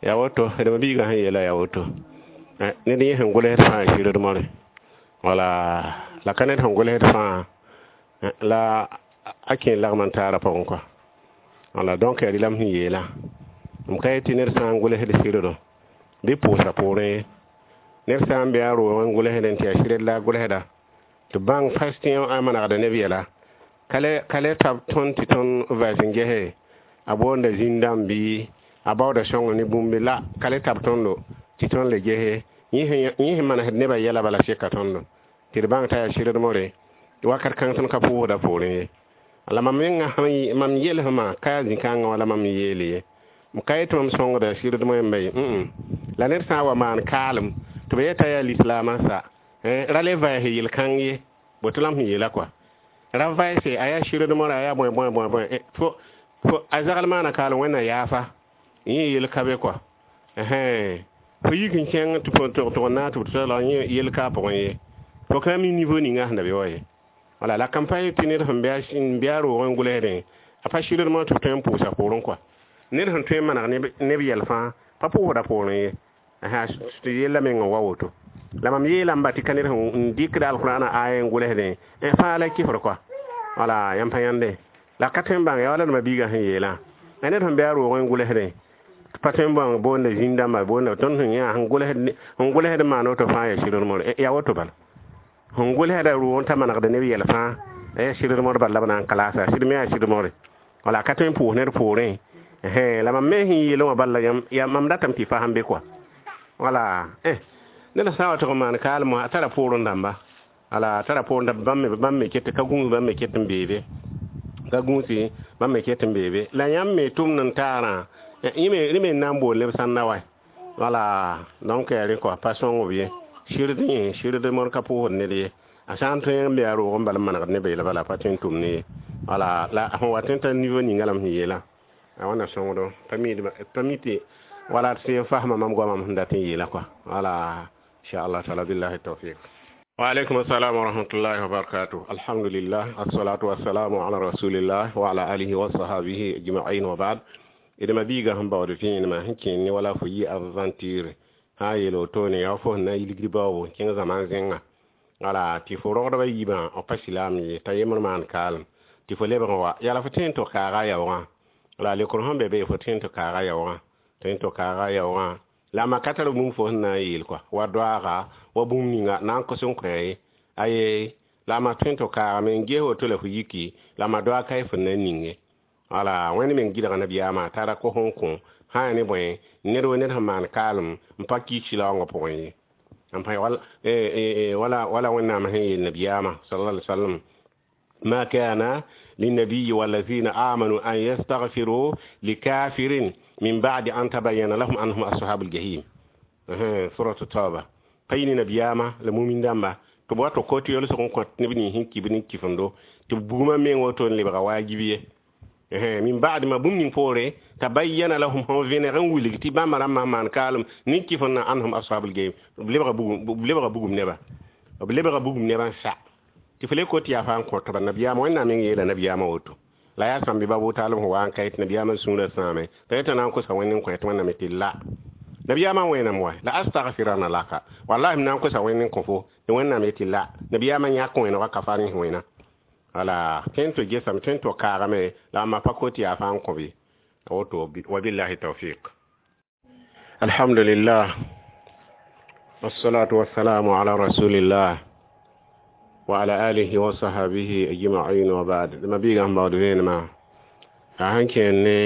Ya woto d biiga sẽn yeela ya woto ned yẽ sẽn gʋlsd fãa sɩrd more. Wala la ka ned sẽn gʋlsd fãa la a kẽ lagm n taara pʋgẽ kɔa. Wala donc yaa rɩlam sẽn yeela m ka yetɩ ned sã n gʋlsd sɩrdɔ bɩ pʋʋsa poorẽ ye. Ned sã n be a roogẽ n gʋlsdẽ tɩ yaa sɩrd la a gʋlsda tɩ bãng fas tɩ a manegda neb yɛla ka le tab tõnd tɩ tõnd vɛs n gese a boonda zĩn-dãmb bɩ a baooda sõng ne bũmb la ka le tab tõndo tɩ tõnd le gese yẽ sẽn manesd nebã yɛla bala seka tõndo tɩ d bãng t'a yaa sɩrd more wakat kãng tõnd ka pʋʋsda poorẽ ye. La mam menga mam yelsmã ka yaa zĩ-kãngã wala mam yeele ye. M ka yetɩ mam sõngda sɩrd moẽmba ye, la ned sã n wa maan kaalem tɩ b yeta yaa lislaamã sa ra le vaɛɛs yel-kãng ye, boto la m sẽn yeela kɔa. Ra vaɛɛse a yaa sɩrd mora a yaa bõe bõe bõe bõe fo a zagl maana kaalem Wẽnna yaafa yẽ yel ka be kɔa. Fo yik n kẽng tɩ fo tʋg n naag tɩ b tɩ la yẽ yel ka a pʋgẽ ye. Fo ka mi niveau ninga sẽn da be wa ye. Wala la kan pa tɩ ned sẽn be a roogẽ n gʋlsdẽ a pa sɩrd mor tɩ b tõe n pʋʋsa poorẽ kɔa. Ned sẽn tõe n maneg neb yɛl fãa pa pʋʋsda poorẽ ye. Tɩ yella meng n wa woto. La mam yeelame ba tɩ ka ned sẽn dɩkda alqurana aya n gʋlsdẽ fãa la kɩfr kɔa. Wala yãmb pa yãnde la ka tõe n bãng ya wala d biigã sẽn yeelã ned sẽn be a roogẽ n gʋlsdẽ pa tõe n bãng boonda zĩn-dãmba boonda tõnd sẽn yã sẽn gʋlsd n maan woto fãa yaa sɩrd more ya woto bala. Sẽn gʋlsda roogẽ t'a manegda neb yɛl fãa yaa sɩrd mor bala la b na n kalasa sɩd me yaa sɩrd more. Wala ka tõe n pʋʋs ned poorẽ. La mam me sẽn yeelẽ wã bala ya mam datame tɩ fasem be kɔa. Wala ned sã n wa tʋg n maan kaalem wã a tara poorẽ dãmba. Wala a tara poorẽ dãmba bãmb me ket ka gũus bãmb me ket n beebe ka gũusi bãmb me ket n beebe la yãmb me tʋmd n taarã rẽ me n na n bool neb sãnda wa. Wala donc yaa rẽ kɔa pa sõng b ye sɩrd yẽ sɩrd mor ka pʋʋsd ned ye. A sã n tõe n be a roog n bal n manegd nebã yɛla bala pa tõe n tʋm ne ye. Wala la sẽn wa tõe t'a niveau ninga la m sẽn yeelã a wãnna sõngdo pa mi tɩ wala tɩ sẽn fasma mam goamã m sẽn dat n yeela kɔa. Wala inshallah taala billahi tawfiq. Wa alaikum assalam wa rahmatullahi wa barakatuh. Alhamdulillah, assalatu wassalamu ala rasulillah wa ala alihi wa sahbihi ajma'in wa ba'd. Idma biiga sẽn baood vẽenemã sẽn kẽen ne wala fo yɩ aventure sã n yeel wotone yaa fo sẽn na n yilgd baoobo kẽng zãma zẽnga. Wala tɩ fo rogdbã yiibã b pa silaam ye t'a yembr maan kaalem tɩ fo lebg n wa yaa la fo tõe n tɩ kaaga a yaoogã. La lekr sẽn be be fo tõe n tɩ kaaga yaoogã tõe n tɩ kaaga yaoogã la ma ka tar bũmb fo sẽn na n yeel kɔa wa doaaga wa bũmb ninga na n kos n kõ ye aye la ma tõe n tɩ kaagame n ges woto la fo yiki la ma doaag ka y fo na n ning ye. Wala Wẽnd meng gɩdga nabiyaamã t'a ra kos n kõ sã yaa ne bõe ned wa ned sẽn maan kaalem n pa kiis silaoongã pʋgẽ ye. N pa wala wala Wẽnnaam sẽn yeel nabiyaamã sallallahu alaihi wasallam ma kana للنبي والذين آمنوا أن يستغفروا لكافر من بعد أن تبين لهم أنهم أصحاب الجحيم. سورة التوبة. قين نبياما لمؤمن دamba to bo to ko ti yol so ko ne bini hinki bini kifondo to buguma men woto le ba wajibi min ba'd ma bum ning pore tabayyana lahum hum veneren wiligi ti bãmba rãmbã maan kaalem nin kɩf n na anhum ashabul jahim b lebga bugum neba b lebga bugum nebã sa tɩ fo le ko tɩ yaa fãa n kõt ba nabiyaamã Wẽnnaam meng yeela nabiyaamã woto la yaa sãmbe ba taalem sẽn wa n ka yetɩ nabiyaamã sũurã sãame t'a yetã na n kosa Wẽnd n kõ tɩ Wẽnnaam tɩ la Nabiyaamã wẽenam wa la astaghfirana laka wallahi m na n kosa wẽnd n kõ fo tɩ wẽnnaam yetɩ la nabiyaamã yãk wẽnega ka fa rẽ wẽna wala tõe n tɩ gesame tõe n tɩ kaagame la ãmba pa kot yaa fãa n kõ bɩ woto wabillahi tawfiq. Alhamdulillah wassalatu wassalamu ala rasulillah wa ala alihi wa sahabihi ajma'in wa ba'd. Ma biiga sẽn baood vẽenemã a sẽn kẽer ne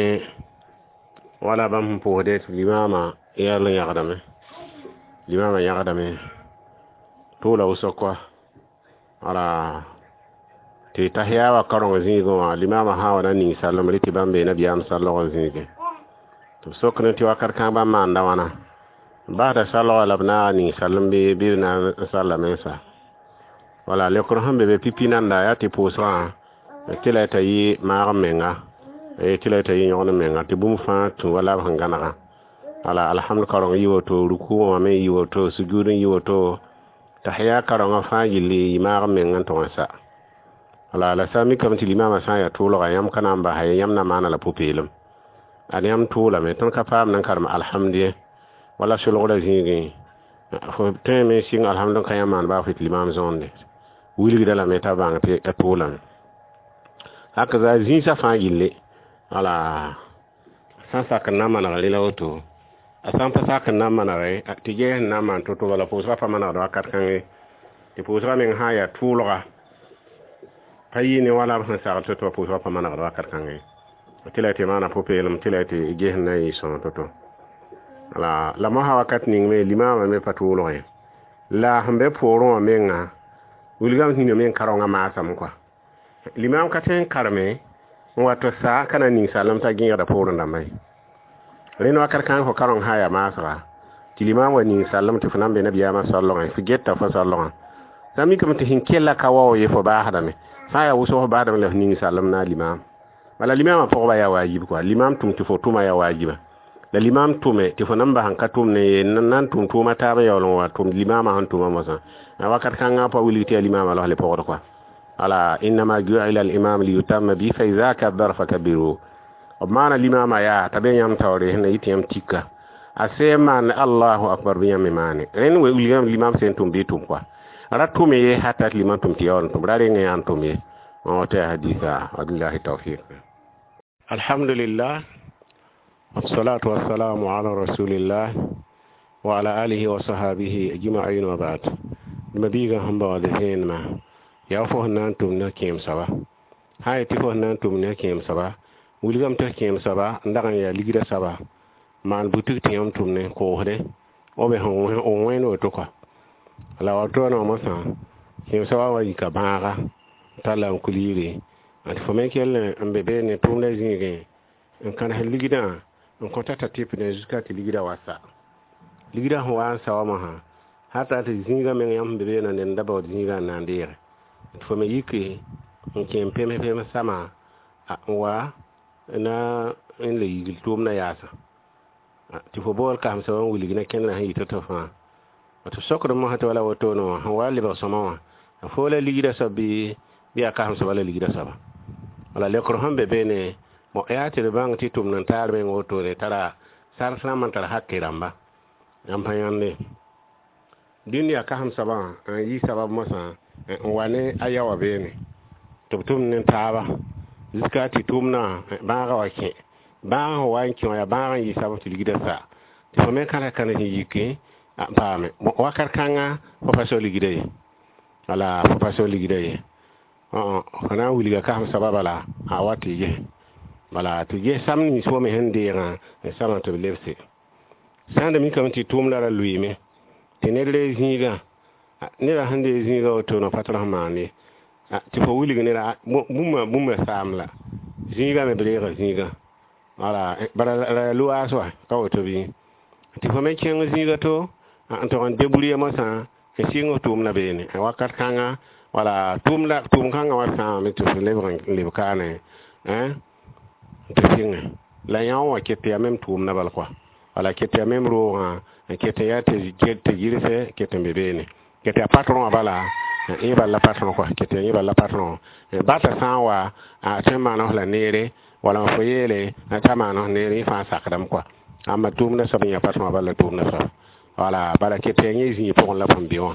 wala bãmb sẽn pʋʋsde tɩ limaamã yɛl n yãgdame limaamã yãgdame tʋʋla wʋsg kɔa wala tɩ tahiya wa kareng zĩigẽ wã limaamã sã n wa na ning sallem rɩ tɩ bãmb bee nabiyaam sallgã zĩigẽ tɩ b sok ne tɩ wakat kãng bãmb maanda wãna basda salga la b naaga ning sallem bɩ b na n sallame n sa wala leokr sẽn be be pipi nanda yaa tɩ pʋʋsgã tɩ la t'a yɩ maag menga tɩ la t'a yɩ yõgen menga tɩ bũmb fãa tũ wala b sẽn gãnega wala alhamd kaoreng yɩ woto ruku wã me yɩ woto sujud n yɩ woto tahiya kaorengã fãa yɩlli yɩ maag meng n tʋg n sa wala la sã n mikame tɩ limaamã sã n yaa tʋʋlga yãmb ka na n basa ye yãmb na maana la pʋ-peelem ad yãmb tʋʋlame tõnd ka paam n karem alhamd ye wala solgrã zĩigẽ fo tõe me sɩng alhamd n ka yãmb maan baa fo tɩ limaam zõonde wilgda lame t'a bãng tɩ a tʋʋlame hakaza zĩisã fãa yille wala sã n sak n na n maneg rẽ la woto a sã n pa sak n na n manege tɩ ges n na n maan to-to bala pʋʋsgã pa manegd wakat kãngẽ tɩ pʋʋsgã meng sã n yaa tʋʋlga pa yɩ ne wala b sẽn sagl to-to pʋʋsgã pa manegd wakat kãngẽ tɩ la tɩ maana pʋ-peelem tɩ la tɩ ges n na n yɩ sõng to-to wala la mosã wakat ning me limaamã me pa tʋʋlgẽ la sẽn be poorẽ wã menga wilgame tɩ nina meng karengã maasame kɔa limaam ka tõe n kareme n wa tɩ sa ka na ning sallem t'a gẽegda poorẽ dãmba ye rẽnd wakat kãng fo kareng sã n yaa maasga tɩ limaam wa ning sallem tɩ fo na n be nabiyaamã sallgẽ fo geta fo sallgã sã mikame tɩ sẽn kella ka wao ye fo baasdame sã n yaa wʋsg fo baasdame la f ning sallem na a limaam bala limaamã pʋgba yaa waajib kɔa limaam tʋm tɩ fo tʋma yaa waajiba la limaam tʋme tɩ fo nan bas n ka tʋm ne ye nan tʋm tʋʋma taabã yaool n wa tʋm limaamã sẽn tʋma mosã wakat kãngã pa wilg tɩ yaa limaamã los le pʋgd kɔa ala innama ju'ila al-imam liyutamma bi fa idha kabbara fakabbiru b maana limaamã yaa t'a be yãmb taoore sẽn na yɩ tɩ yãmb tika a sẽn maan allahu akbar bɩ yãmb me maane rẽnd wilgame limaam sẽn tʋm bɩ tʋm kɔa ra tʋme ye hata tɩ limam tʋm tɩ yaool n tʋm ra reng yaa n tʋm ye tɩ yaa hadisa wabillahi tawfiq. Alhamdulillah wassalatu wassalamu ala rasulillah wa ala alihi wa sahabihi ajma'in wa ba'd. Ma biigã sẽn baood vẽenemã yaa fo sẽn na n tʋm ne kẽem soaba sã n yetɩ fo sẽn na n tʋm ne kẽem soaba wilgame tɩ kẽem soaba n dag n yaa ligrã soaba maan butik tɩ yãmb tʋm ne koosde b wẽnd woto kɔa la wato wã mosã kẽem soaba wa yika bãaga talla n kul yiri tɩ fo me kell n be beene tʋʋmdã zĩigẽ n kãnes ligdã n kõta t'a tɩp ne jusqu'à tɩ ligdã wa sa ligdã sẽn wa n sa wa mosã hata tɩ zĩigã meng yãmb sẽn be beene ned n da baood zĩigã n na n deege tɩ fo me yiki n kẽem pems pems sama n wa na n le yigl tʋʋmdã yaasã tɩ fo bool kasem soab n wilg ne kẽndrã sẽn yɩ to-to fãa tɩ sokd mosã tɩ wala wotone wã sẽn wa lebg sõma wã fo la ligdã soab bɩ yaa kasem soaba la ligdã soaba wala leokr sẽn be beene yaa tɩ d bãng tɩ tʋmd n taar meng wotone tara sars rãmb n tar hake rãmba yãmb pa yãnde dũni yaa kasem soabã n yɩ sabab mosã n wa ne a yaoowã beene tɩ b tʋmd ne taaba jusqu'à tɩ tʋʋmdã bãagã wa kẽ bãagã sẽn wa n kẽ wã yaa bãagã n yɩ sabab tɩ ligdã sa tɩ fo me kãna kãnes n yike n paame wakat kãnga fo pa sao ligdã ye wala fo pa sao ligdã ye fo na n wilga kasem soaba bala a wa tɩ ges bala tɩ ges sam nins fo me sẽn deegã n samã tɩ b lebse sã n da mikame tɩ tʋʋmdã ra lʋɩɩme tɩ ned ree zĩigã neda sẽn dee zĩigã wotone pa tɩ sẽn maan ye tɩ fo wilg neda bũmba bũmba saam la zĩigã me b reega zĩigã wala bala la loaas wa ka woto bɩ tɩ fo me kẽng zĩiga to n tog n debrouiller mosã n sɩng f tʋʋmdã beene wakat kãnga wala tʋʋmda tʋʋm kãngã wa sãame tɩ fo lebg n leb kaane tɩ sɩngẽ la yã wã ket yaa mem tʋʋmdã bal kɔa wala ket yaa mem roogã n ket n yaa tɩ gɩrse ket n be beene ket yaa patron wã bala yẽ bal la patron kɔa ket yaa yẽ bal la patron bata sã n wa a tõe n maan f la neere wala fo yeele t'a maan f neere yẽ fãa sakdame kɔa Ãmba tʋʋmdã soab n yã pa tõa bala la tʋʋmdã soab. Wala bala ket yaa yẽ zĩig pʋgẽ la fõn be wã.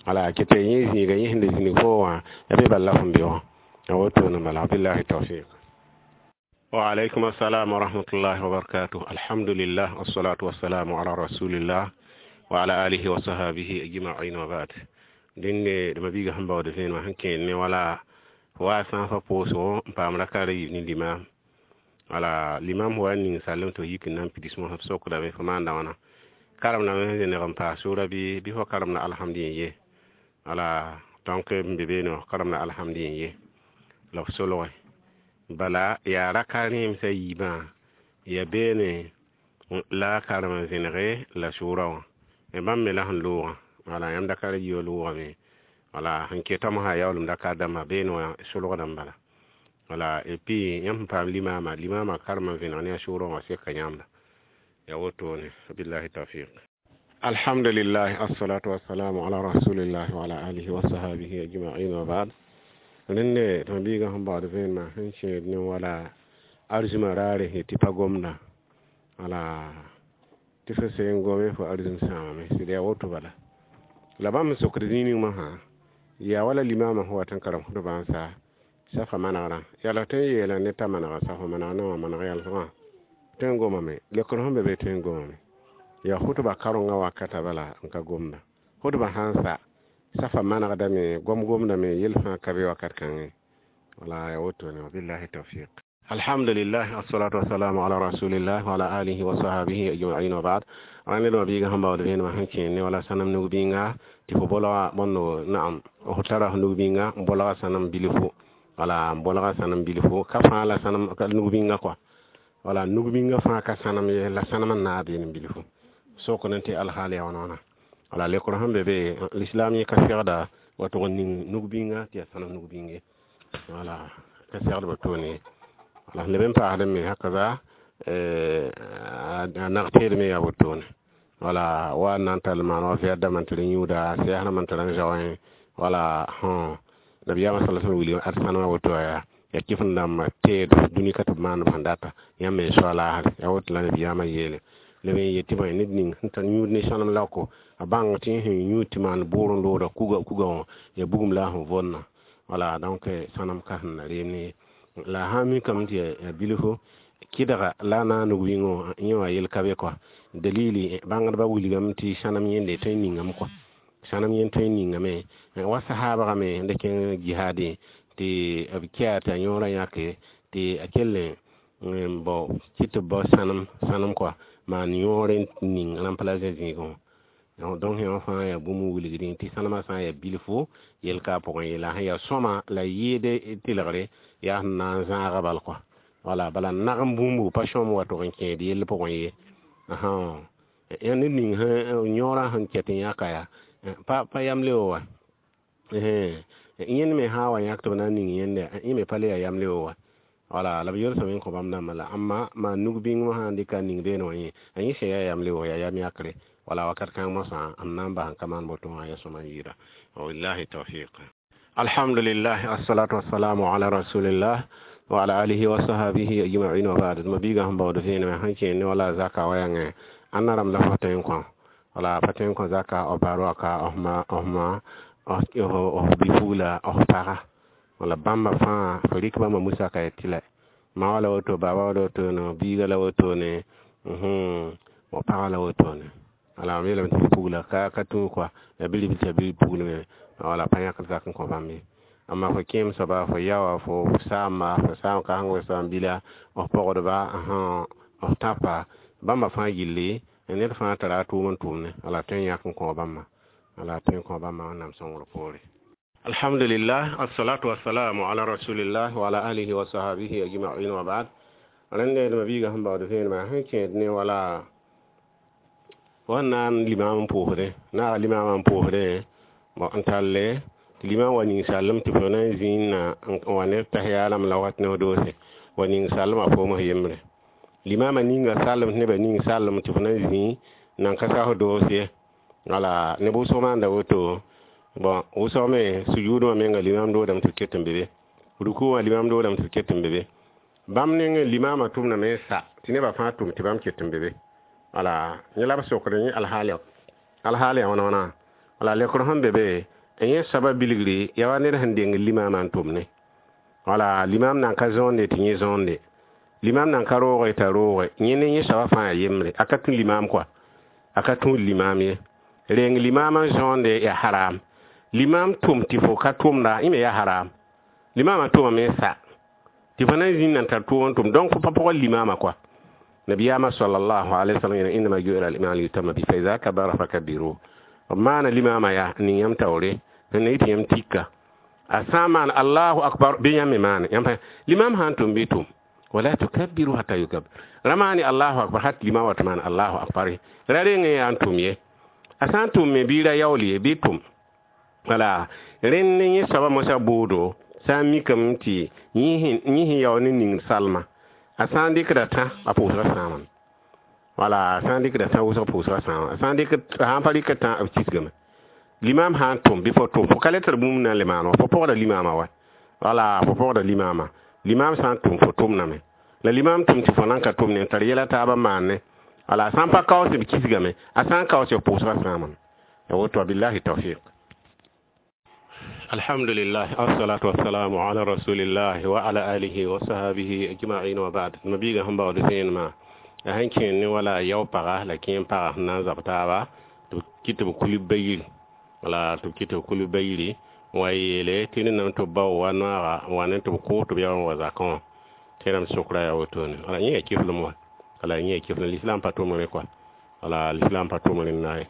Wala ket yaa yẽ zĩiga, yẽ sẽn da zĩnig foo wã, ya be bala la fõn be wã. Ya wotone bala. Billahi tawfiq. Wa alaykum assalam wa rahmatullahi wa barakatuh. Alhamdulillah, wassalatu wassalamu ala rasulillah wa ala alihi wa sahbihi ajma'in wa ba'd. Dẽnde d mabiiga sẽn baood vẽenemã sẽn kẽed ne wala wa sã n fa pʋʋsgo n paam raka ra yiib ne limam. Wala limam wa ning sallem tɩ f yik n na n pids mosã, b sokdame fo maanda wãna, karemdame sẽn zeneg n paas sʋʋra bɩ fo karemda alhamd yẽ ye. Wala donc n be beene wã, karemda alhamd yẽ ye la f solge. Bala yaa raka rẽemsã yiibã ya beene la karem n zẽnege la sʋʋra wã. Bãmb me la sẽn loogã, wala yãmb raka ra yiibã loogame. Wala sẽn keta mosã yaoolem raka dãmbã beene wã solgdame bala. Wala et puis yãmb sẽn paam limaama, limaamã karem n vẽneg ne a sʋʋrã wã seka yãmba. Ya wotone. Billahi tawfiq. Alhamdulillah, assalatu wassalamu ala rasulillah wa ala alihi wa sahbihi ajma'in wa ba'd. Rẽnde tɩ mabiigã sẽn baood vẽenemã sẽn kẽed ne wala arzimã raare tɩ pa gomda. Wala tɩ fo seen gome fo arzim sãamame, sɩd yaa woto bala. La bãmb sẽn sokd zĩig ning mosã yaa wala limaamã sẽn wat n karem khutbã n sa safa manegrã. Yaa la tõe n yeela ned t'a manega safa maneg ne wã maneg yalsgã tõe n gomame, lekr sẽn be be tõe n gomame. Yaa khutba karengã wakata bala n ka gomda. Khutbã sã n sa safa manegdame, gom gomdame, yel fãa ka be wakat kãngẽ. Wala yaa wotone. Wabillahi tawfiq. Alhamdulillah, assalatu wassalamu ala rasulillah wa ala alihi wa sahbihi ajma'in wa ba'd. Rãnd d mabiigã sẽn baood vẽenemã sẽn kẽed ne wala sãnem nug-bĩnga tɩ fo bolga bõndo naam f tara f nug-bĩnga n bolga sãnem bilfu. Wala n bolga sãnem bilfu ka fãa la sãnem nug-bĩnga kɔa. Wala nug-bĩnga fãa ka sãnem ye, la sãnem n naab beene bilfu. Sok n tɩ alhaal yaa wãna wãna. Wala lekr sẽn be be l'islam yẽ ka segda wa tʋg n ning nug-bĩnga tɩ yaa sãnem nug-bĩng ye. Wala ka segd wotone. Wala leb n paasdẽ me hakaza a nag teed me yaa wotone. Wala wa n na n tall maan wa vɛɛdame n tɩ rẽ yũuda sɛɛsdame n tɩ rẽ zaoẽ. Wala nabiyaamã sala sallam wilg ad sãnemã woto yaa kɩf n dãmb teed dũni ka tɩ b maand b sẽn data yãmb me soa laasre. Yaa woto la nabiyaamã yeele. Leb n yet tɩ bõe ned ning sẽn tar yũud ne sãnem laoko a bãng tɩ yẽ sẽn yũud tɩ maan bʋʋr n looda kuga wã ya bugum la a sẽn vonna. Wala donc sãnem ka sẽn na reem ne ye. La sã n mikame tɩ yaa bilfu kɩdga la a naag nug-bĩngõ yẽ wã yel ka be kɔa. Dalili bãngdbã wilgame tɩ sãnem yẽnde tõe n ningame kɔa. Sãnem yẽnd tõe n ningame wa sahaabgã me sẽn da kẽng jihaadẽ tɩ b kia tɩ a yõorã yãke tɩ a kell n bao kɩ tɩ b bao sãnem kɔa maan yõor n ning remplacer zĩigẽ wã. Donc yõ fãa yaa bũmb n wilgdẽ tɩ sãnemã sã n yaa bilfu yel ka a pʋgẽ ye, la sẽn yaa sõma la yɩɩd tɩlgre yaa sẽn na n zãaga bal kɔa. Wala bala nagem bũmbu pa sõm wa tʋg n kẽed yell pʋgẽ ye. Ned ning yõorã sẽn ket n yãka yaa pa yam leo wa. Yẽnd me sã n wa yãk tɩ b na n ning yẽnde, yẽ me pa le yaa yam leo wa. Wala la b yelsame n kõ bãmb dãmbã la ãmba maan nug-bĩng mosã n dɩka n ning beene wã yẽ, a yẽ sẽn yaa yam leo yaa yam yakre. Wala wakat kãng mosã n na n bas n ka maan boto wã yaa sõma n yɩɩda. Wabillahi tawfiq. Alhamdulillah, assalatu wassalamu ala rasulillah wa ala alihi wa sahbihi ajma'in wa ba'd. Mabiigã sẽn baood vẽenemã sẽn kẽed ne wala zaka wa yãngẽ ãnna rãmb la fo tõe n kõ. Wala pa tõe n kõ zaka f baar waka, f ma, f bi-pugla, f paga. Wala bãmba fãa fo rɩk bãmba musaka ya tɩ la ma wa la woto, baaba wa la wotone, biiga la wotone, paga la wotone. Wala mam yeelame tɩ bi-pugla ka tũ kɔa, ya bilibl tɩ ya bi-pugl me, wala pa yãkd zak n kõ bãmb ye. Amma fo kẽem soaba, fo yaoa, fo saamba, fo saam kãseng, fo saam-bila, f pogdba, f tãpa, bãmba fãa gilli ned fãa tara a tʋʋm n tʋʋmne. Wala tõe n yãk n kõ bãmba. Wala tõe n kõ bãmba Wẽnnaam sõngr poore. Alhamdulillah, assalatu wassalamu ala rasulillah wa ala alihi wa sahbihi ajma'in wa ba'd. Rẽnde d mabiigã sẽn baood vẽenemã sẽn kẽed ne wala wa na n limaam n pʋʋsdẽ, naaga limaamã n pʋʋsdẽ n talle tɩ limam wa ning sallem tɩ fo na n zĩnd na n wa ne tahiya rãmb la wat ne f doose wa ning sallmã foom f yembre. Limaamã ninga sallem tɩ nebã ning sallem tɩ fo na n zĩ nan ka sa f doos ye. Wala neb wʋsg maanda woto. Bon wʋsg me sujuud wã menga limam doodame tɩ b ket n be be, ruku wã limam doodame tɩ b ket n be be. Bãmb nengẽ limaamã tʋmdame n sa tɩ nebã fãa tʋm tɩ bãmb ket n be be. Wala yẽ la b sokd yẽ alhaal ya wãna wãna. Wala lekr sẽn be be yẽ soaba bilgri yaa wa ned sẽn deng limaamã n tʋmne. Wala limaam nan ka zõonde tɩ yẽ zõonde, limaam nan ka rooge t'a rooge, yẽ ne yẽ soaba fãa yaa yembre, a ka tũ limaam kɔa, a ka tũud limaam ye. Reng limaam n zõonde yaa haram, limaam tʋm tɩ fo ka tʋmda, yẽ me yaa haram. Limaamã tʋmame n sa tɩ fo na n zĩnd n tar tʋʋm n tʋm, donc fo pa pʋgã limaamã kɔa. Nabiyaamã sallallahu alaihi wasallam yeela innama ju'ila al-imam liyutamma bihi fa idha kabbara fakabbiru. B maana limaamã yaa n ning yãmb taoore n na yɩ tɩ yãmb tika. A sã n maan allahu akbar bɩ yãmb me maane. Yãmb limaam sã n tʋm bɩ tʋm, wala tukabbiru hatta yukabbir. Ra maane allahu akbar hat limaam wa tɩ maan allahu akbar ye. Ra reng n yaa n tʋm ye. A sã n tʋm me bɩ ra yaool ye bɩ tʋm. Wala rẽnd ne yẽ soaba mosã boodo sã n mikame tɩ yẽ sẽn yaool ne ning salma, a sã n dɩkda tã a pʋʋsgã sãamame. Wala a sã n dɩkda tã wʋsg pʋʋsgã sãama, a sã n dɩk sã n pa rɩk tã b kisgame. Limaam sã n tʋm bɩ fo tʋm, fo ka le tar bũmb na n le maan wã, fo pɔgda limaamã wa. Wala fo pɔgda limaamã. Limaam sã n tʋm fo tʋmdame, la limaam tʋm tɩ fo nan ka tʋmne n tar yɛla taabã maanne. Wala a sã n pa kaoose b kisgame, a sã n kaoose b pʋʋsgã sãamame. Ya woto, billahi tawfiq. Alhamdulillah, assalatu wassalamu ala rasulillah wa ala alihi wa sahbihi ajma'in wa ba'd. Mabiga sẽn baood vẽenemã a sẽn kẽer ne wala yao paga la kẽem paga sẽn na n zab taaba tɩ b kɩ tɩ b kul bayiri. Wala tɩ b kɩ tɩ b kul bayiri wa yeele tɩ rẽndame tɩ b bao wa noaga n wa ne tɩ b koos tɩ b yao n wa zakã wã tɩ rãmb sokra yaa wotone. Wala yẽ yaa kiflem wa, wala yẽ yaa kiflem, l'islam pa tʋm rẽ kɔa. Wala l'islam pa tʋm rẽnda ye.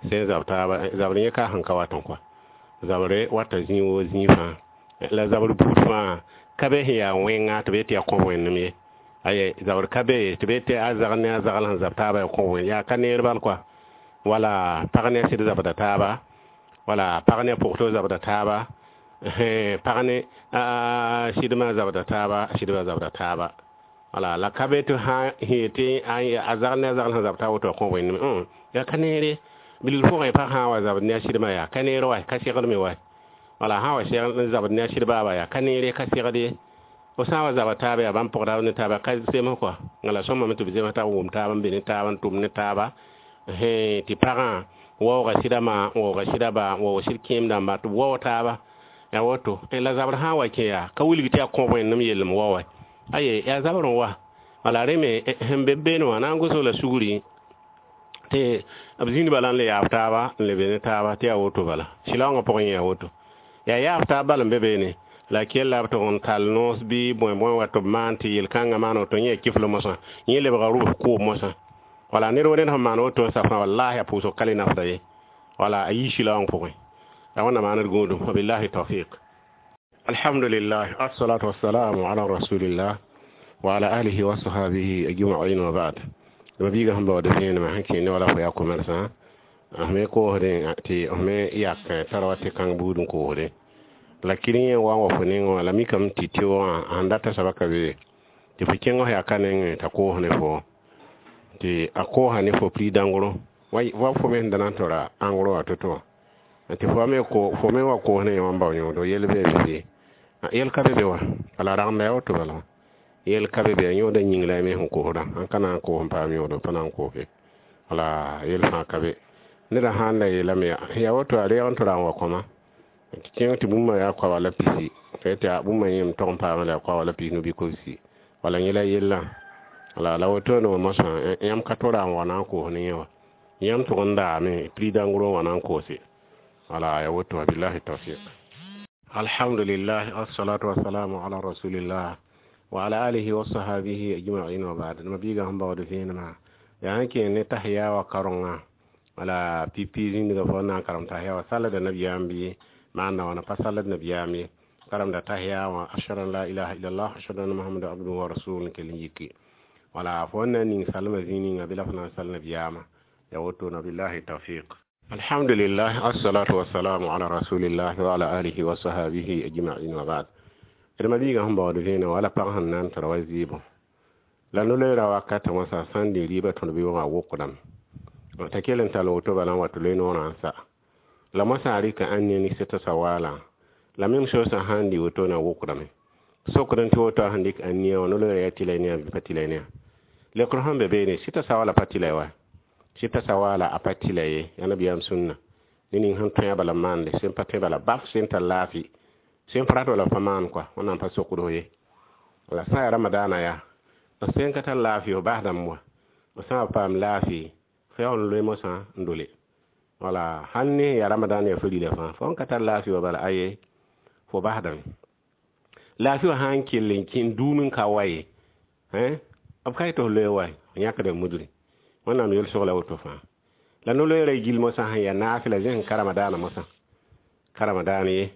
Sẽn zab taaba zabr yẽ ka sẽn ka wat n kɔa, zabre wata zĩig woo zĩig fãa, la zabr buud fãa ka be sẽn yaa wẽnga tɩ b yet tɩ yaa kõb wẽnnem ye. Aye, zabr ka be tɩ b yet tɩ a zagl ne a zagl sẽn zab taaba yaa kõb wẽn, yaa ka neer bal kɔa. Wala pag ne a sɩd zabda taaba, wala pag ne a pʋgto zabda taaba, pag ne a sɩdmã zabda taaba, a sɩdbã zabda taaba. Wala la ka be tɩ sã yẽ tɩ a zagl ne a zagl sẽn zab taaba woto yaa kõb wẽnnem, yaa ka neere. Bilg pʋgẽ pag sã n wa zabd ne a sɩdmã yaa ka neer wa, ka segd me wa. Wala sã n wa segd zabd ne a sɩd baaba yaa ka neere, ka segd ye. Fo sã n wa zaba taaba yaa bãmb pʋgda ne taaba ka zems kɔa. La sõmame tɩ b zems taab wʋm taaba n be ne taaba n tʋm ne taaba. Tɩ pagã waooga sɩda ma, waooga sɩda ba, waoog sɩd kẽem dãmba tɩ b waoog taaba. Yaa woto. La zabr sã n wa kẽ yaa ka wilg tɩ yaa kõb wẽnnem yellem wao wa. Aye, yaa zabr n wa. Wala rẽ me sẽn be beene wã na n gos la sugri tɩ b zĩnd bala n le yaab taaba n le be ne taaba tɩ yaa woto bala. Sɩlaoongã pʋgẽ yaa woto. Yaa yaab taab bal n be beene la kell la b tʋg n tall noos bɩ bõe-bõe wa tɩ b maan tɩ yel-kãngã maan woto yẽ yaa kifl mosã, yẽ lebga rʋbs kʋʋb mosã. Wala ned wo ned sẽn maan woto n sa fãa wallahi a pʋʋsg ka le nafda ye. Wala a yii sɩlaoong pʋgẽ. La wẽnnaam maan d gũudum. Wabillahi tawfiq. Alhamdulillah, assalatu wassalamu ala rasulillah wa ala alihi wa sahbihi ajma'in wa ba'd. Mabiiga sẽn baood vẽenemã sẽn kẽ ne wala fo yaa commerçant me koosdẽ tɩ me yak tara wa tɩ kãng buud n koosdẽ. La kirẽ yẽ wa n wa fo nengẽ wã la mikame tɩ tɩ-wã sẽn data soaba ka be tɩ fo kẽng f yaa ka nengẽ t'a koos ne fo tɩ a koosa ne fo prix dãngro wa fo me sẽn da na n tora ãngro wã to-to wã tɩ fo me wa koos ne yẽ wã n bao yõodo yel bee be yel ka be be wa. Wala ragenda yaa woto bala yel ka be be a yõoda yĩng la a me sẽn koosda sãn ka na n koos n paam yõodo pa na n koose. Wala yel fãa ka be neda sã n la yeelame yaa woto a reeg n tɩ ra n wa kõma tɩ kẽng tɩ bũmba yaa koaba la pisi tɩ tɩ bũmba yẽm tog n paama la yaa koaba la pis no bɩ kobsi. Wala yẽ la yellã. Wala la wotone wã mosã yãmb ka tora n wa na n koos ne yẽ wa, yãmb tʋg n daame prix dãngr n wa na n koose. Wala yaa woto, billahi tawfiq. Alhamdulillah, assalatu wassalamu ala rasulillah wa ala alihi wa sahbihi ajma'in wa ba'd. Mabiiga sẽn baood vẽenemã yaa sẽn kẽer ne tahiya wa karengã. Wala pipi zĩndga fo na n karem tahiya wa sallda nabiyaam bɩ maanda wãna pa salld nabiyaam ye. Karemda tahiya wã ashhadu an la ilaha illallah ashhadu anna muhammadan abduhu wa rasuluhu kell n yiki. Wala fo na n ning salmã zĩig ninga bɩ la fo na n sall nabiyaamã. Ya woto na billahi tawfiq. Alhamdulillah, assalatu wassalamu ala rasulillah wa ala alihi wa sahbihi ajma'in wa ba'd. D mabiigã sẽn baood vẽeneg wala pag sẽn na n tara wa zɩɩbõ la no-loeera wakatã wã sã sã n dɩ rɩɩbã tõd bɩ wã wʋkdame t'a kell n tall woto bala n wa tɩ loe noorã n sa la moasã a rɩka ãn ne sɩta sawaalã la même chose sã n dɩ woto na wʋkdame sokd n tɩ woto a sẽn dɩk ãn nia wã no-loeera yaa tɩla ne bɩ pa tɩla ne lekr sẽn be beene sɩta sawaala pa tɩla wa. Sɩta sawala a pa tɩla ye, yaa nabiyaam sũnna. Ne ning sẽn tõe a bala maande, sẽn pa tõe bala baf, sẽn tar laafɩ, sẽn pa rat bala pa maan kɔa, Wẽnnaam pa sokd fo ye. La sã n yaa ramadaana yaa, b sẽn ka tar laafɩ f basdame wa, b sã n paam laafɩ, fo yaool n loe mosã n dole. Wala sãn ne yaa ramadan yaa farila fãa, fo sẽn ka tar laafɩ wã bala aye, fo basdame. Laafɩ wã sã n kell n kẽ n duum n ka wa ye, b ka yetɩ f loe wa, f yãkda mudre. Wẽnnaam yel-sog la woto fãa. La no-loeerã gill mosã sẽn yaa naafɩla zẽsẽ ka ramadaanã mosã, ka ramadaan ye,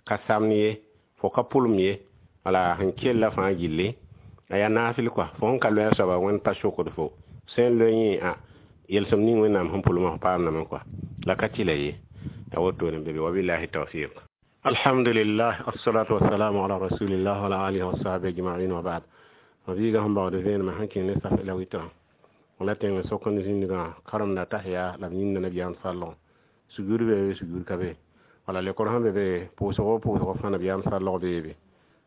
ka samd ye, fo ka pʋlem ye, wala sẽn kella fãa gilli, a yaa naafɩl kɔa. Fo sẽn ka loe a soaba, Wẽnd pa sokd fo. Sẽn loe yẽ a yelsem ning Wẽnnaam sẽn pʋlmã fo paamdame kɔa. La ka tɩla ye. A wotone be wabillahi tawfiq. Alhamdulillah, assalatu wassalamu ala rasulillah wa ala alihi wa sahbihi ajma'in wa ba'd. Mabiiga sẽn baood vẽenemã sẽn kẽ ne saf la wɩtrã, la tẽng sok n zĩndgã karemda tahiya la b yĩnda nabiyaam sallgẽ. Sugr be, sugr ka be. Wala lekor sẽn be be, pʋʋsgo pʋʋsgo fãa nabiyaam sallg beebe.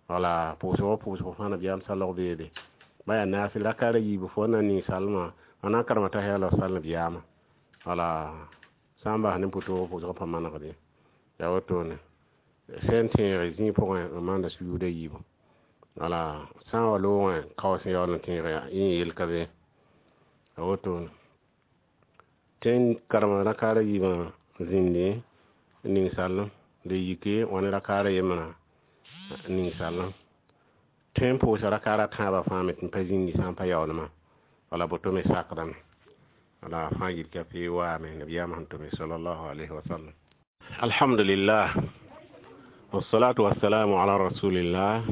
Wala pʋʋsgo pʋʋsgo fãa nabiyaam sallg beebe. Ba yaa naafɩl rakaar a yiibu fo na n ning salmã, a na n karema tahiya la f sall nabiyaamã. Wala sã n bas ne pʋtʋʋg pʋʋsgã pa manegd ye. Yaa wotone. Sẽn tẽege zĩig pʋgẽ n maanda sujuud a yiibu. Wala sã n wa loogẽ kaoos n yaool n tẽege yẽ yel ka be. A wotone. Tẽn karema rakaar a yiibã zĩndi ning sallem, d yike wã ne rakaar a yembrã ning sallem. Tõe n pʋʋsa rakaar a tãabã fãa me tɩ n pa zĩndi sã n pa yaoolmã. Wala boto me sakdame. Wala fãa yil ka pee waame nabiyaamã sẽn tʋme sallallahu alayhi wa sallam. Alhamdulillah. Wassalatu wassalamu ala rasulillah